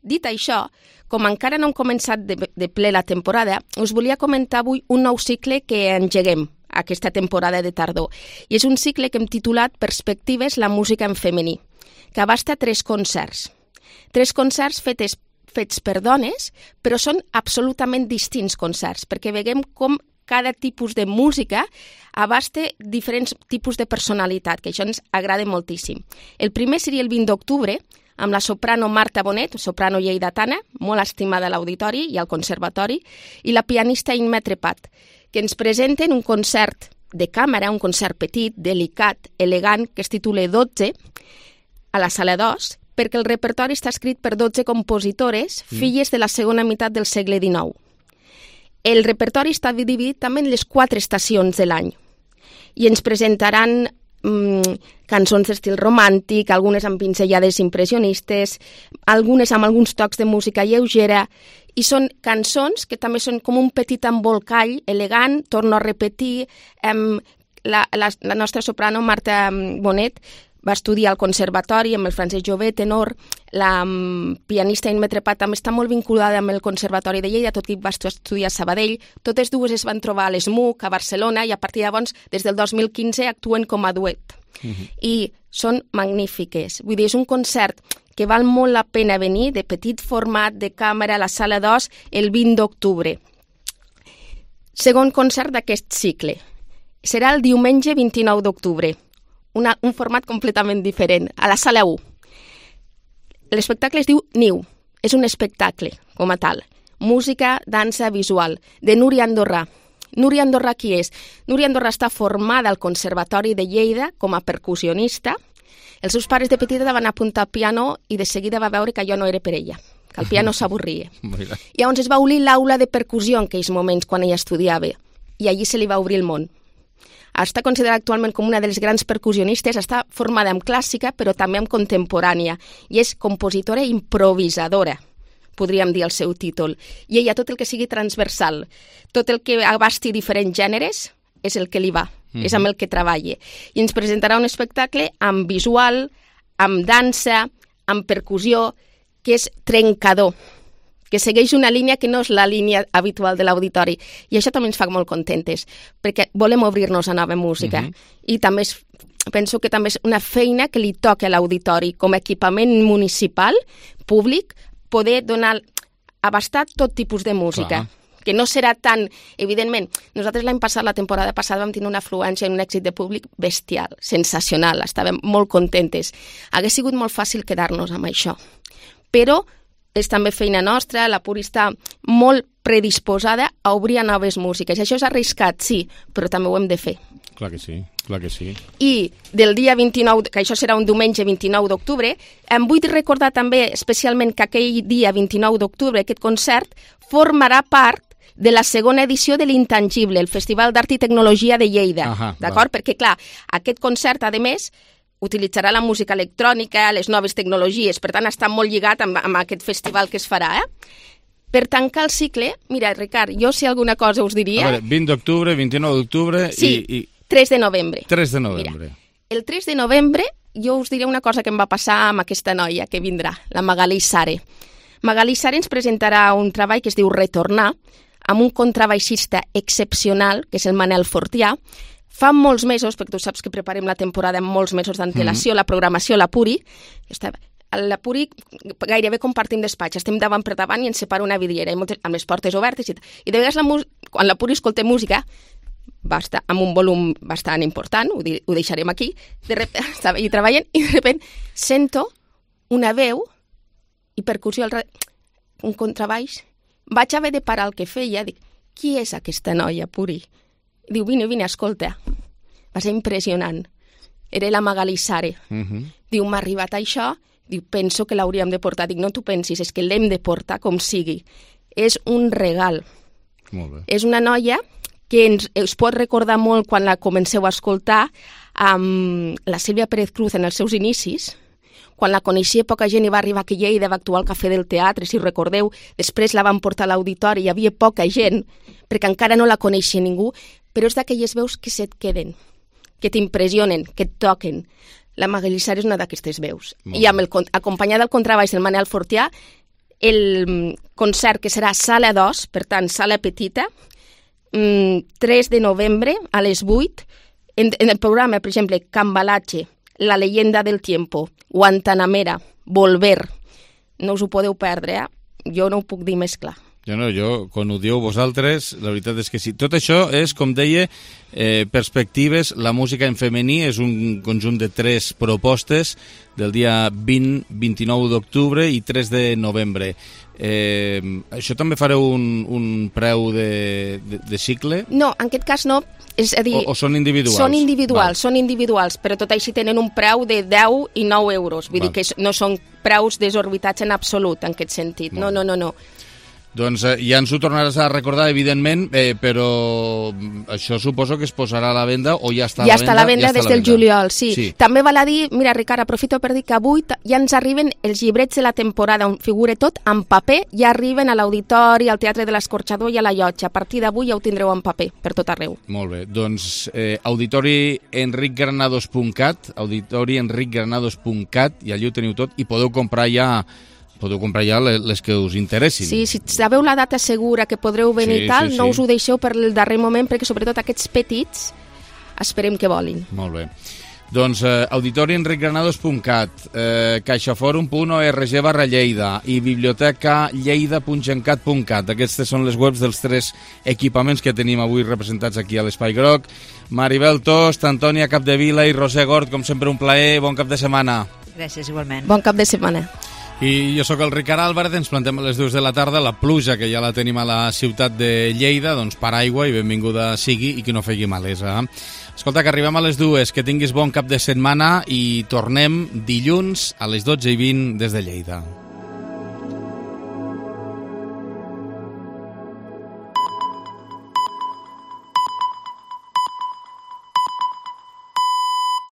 Dit això, com encara no hem començat de, de ple la temporada, us volia comentar avui un nou cicle que engeguem aquesta temporada de tardor. I és un cicle que hem titulat Perspectives, la música en femení, que abasta tres concerts. Tres concerts fetes, fets per dones, però són absolutament distints concerts, perquè veiem com cada tipus de música abasta diferents tipus de personalitat, que això ens agrada moltíssim. El primer seria el vint d'octubre, amb la soprano Marta Bonet, soprano lleidatana, molt estimada a l'auditori i al conservatori, i la pianista Imma Trepat, que ens presenten un concert de càmera, un concert petit, delicat, elegant, que es titula dotze, a la sala dos, perquè el repertori està escrit per dotze compositores, mm. filles de la segona meitat del segle dinou. El repertori està dividit també en les quatre estacions de l'any i ens presentaran mm, cançons d'estil romàntic, algunes amb pinzellades impressionistes, algunes amb alguns tocs de música lleugera, i són cançons que també són com un petit embolcall elegant, torno a repetir, em, la, la, la nostra soprano Marta Bonet va estudiar al conservatori amb el Francesc Jové, tenor. La um, pianista Imma Trepat també està molt vinculada amb el Conservatori de Lleida, tot i que va estudiar a Sabadell. Totes dues es van trobar a l'ESMUC, a Barcelona, i a partir de llavors, des del dos mil quinze, actuen com a duet. Uh-huh. I són magnífiques. Vull dir, és un concert que val molt la pena venir, de petit format, de càmera, a la sala dos, el vint d'octubre. Segon concert d'aquest cicle. Serà el diumenge vint-i-nou d'octubre. Una, un format completament diferent, a la sala u. L'espectacle es diu Niu, és un espectacle, com a tal. Música, dansa, visual, de Núria Andorrà. Núria Andorrà qui és? Núria Andorrà està formada al Conservatori de Lleida com a percussionista. Els seus pares de petita van apuntar al piano i de seguida va veure que allò no era per ella, que el piano s'avorria. I llavors es va obrir l'aula de percussió en aquells moments quan ella estudiava, i allí se li va obrir el món. Està considerada actualment com una de les grans percussionistes, està formada en clàssica però també en contemporània i és compositora improvisadora, podríem dir el seu títol. I ella tot el que sigui transversal, tot el que abasti diferents gèneres és el que li va, mm-hmm. és amb el que treballa. I ens presentarà un espectacle amb visual, amb dansa, amb percussió, que és trencador, que segueix una línia que no és la línia habitual de l'auditori. I això també ens fa molt contentes, perquè volem obrir-nos a nova música. Mm-hmm. I també és, penso que també és una feina que li toca a l'auditori, com a equipament municipal, públic, poder donar, abastar tot tipus de música. Clar. Que no serà tan... Evidentment, nosaltres l'any passat, la temporada passada, vam tenir una afluència i un èxit de públic bestial, sensacional, estàvem molt contentes. Hauria sigut molt fàcil quedar-nos amb això. Però és també feina nostra, la Puri està molt predisposada a obrir a noves músiques. Això és arriscat, sí, però també ho hem de fer. Clar que sí, clar que sí. I del dia vint-i-nou, que això serà un diumenge vint-i-nou d'octubre, em vull recordar també especialment que aquell dia vint-i-nou d'octubre aquest concert formarà part de la segona edició de l'Intangible, el Festival d'Art i Tecnologia de Lleida. Ahà, d'acord? Va. Perquè, clar, aquest concert, a més, utilitzarà la música electrònica, les noves tecnologies, per tant està molt lligat amb, amb aquest festival que es farà. Eh? Per tancar el cicle, mira, Ricard, jo si alguna cosa us diria... A veure, vint d'octubre, vint-i-nou d'octubre sí, i, i... tres de novembre. tres de novembre. Mira, el tres de novembre jo us diré una cosa que em va passar amb aquesta noia que vindrà, la Magalí Sare. Magalí Sare ens presentarà un treball que es diu Retornar, amb un contrabaixista excepcional, que és el Manel Fortià. Fa molts mesos, perquè tu saps que preparem la temporada amb molts mesos d'antelació, mm. la programació, la Puri, la Puri gairebé compartim despatx, estem davant per davant i ens separa una vidriera, amb les portes obertes, i, i de vegades la quan la Puri escolta música, va estar amb un volum bastant important, ho, di ho deixarem aquí, de repente, estava allà treballant i de repente sento una veu i percussió, al un contrabaix, vaig haver de parar el que feia, dic, qui és aquesta noia, Puri? Diu, vine, vine, escolta. Va ser impressionant. Era la Magalí Sare. Uh -huh. Diu, m'ha arribat això, diu, penso que l'hauríem de portar. Dic, no t'ho pensis, és que l'hem de portar com sigui. És un regal. Molt bé. És una noia que ens, us pot recordar molt quan la comenceu a escoltar amb la Sílvia Pérez Cruz en els seus inicis, quan la coneixia poca gent i va arribar aquí a Lleida, va actuar al Cafè del Teatre, si recordeu, després la van portar a l'auditori, hi havia poca gent, perquè encara no la coneixia ningú, però és d'aquelles veus que se't queden, que t'impressionen, que et toquen. La Magalí Sare és una d'aquestes veus. Molt I amb el, acompanyada del contrabaix del Manel Fortià, el concert que serà sala dos, per tant, sala petita, tres de novembre a les vuit, en, en el programa, per exemple, Cambalache, La leyenda del tiempo, Guantanamera, Volver. No us ho podeu perdre, eh? Jo no ho puc dir més clar. Jo no, jo, quan ho dieu vosaltres, la veritat és que sí. Tot això és, com deia, eh, perspectives. La música en femení és un conjunt de tres propostes del dia vint, vint-i-nou d'octubre i tres de novembre. Eh, això també fareu un, un preu de, de, de cicle? No, en aquest cas no. És a dir, o, o són individuals? Són individuals, Val. són individuals, però tot així tenen un preu de deu i nou euros. Vull Val. dir que no són preus desorbitats en absolut, en aquest sentit. Val. No, no, no, no. Doncs eh, ja ens ho tornaràs a recordar, evidentment, eh, però això suposo que es posarà a la venda o ja està a ja la venda? Està a la venda ja des del juliol, sí. sí. També val a dir, mira, Ricard, aprofito per dir que avui ja ens arriben els llibrets de la temporada, on figura tot en paper, ja arriben a l'Auditori, al Teatre de l'Escorxador i a la Llotja. A partir d'avui ja ho tindreu en paper, per tot arreu. Molt bé, doncs eh, auditori enric granados punt cat, auditori enric granados punt cat, i allà ho teniu tot, i podeu comprar ja podeu comprar ja les que us interessin. Sí, si sabeu la data segura que podreu venir i sí, tal, sí, no sí. us ho deixeu per el darrer moment, perquè sobretot aquests petits esperem que volin. Molt bé. Doncs eh, auditori enric granados punt cat, eh, caixaforum punt org barra Lleida i biblioteca lleida punt gencat punt cat. Aquestes són les webs dels tres equipaments que tenim avui representats aquí a l'Espai Groc. Maribel Tost, Antònia Capdevila i Roser Gort, com sempre un plaer, bon cap de setmana. Gràcies, igualment. Bon cap de setmana. I jo sóc el Ricard Álvarez, ens plantem a les dues de la tarda, la pluja que ja la tenim a la ciutat de Lleida, doncs paraigua i benvinguda sigui i que no fegui malesa. Escolta, que arribem a les dues, que tinguis bon cap de setmana i tornem dilluns a les dotze i vint des de Lleida.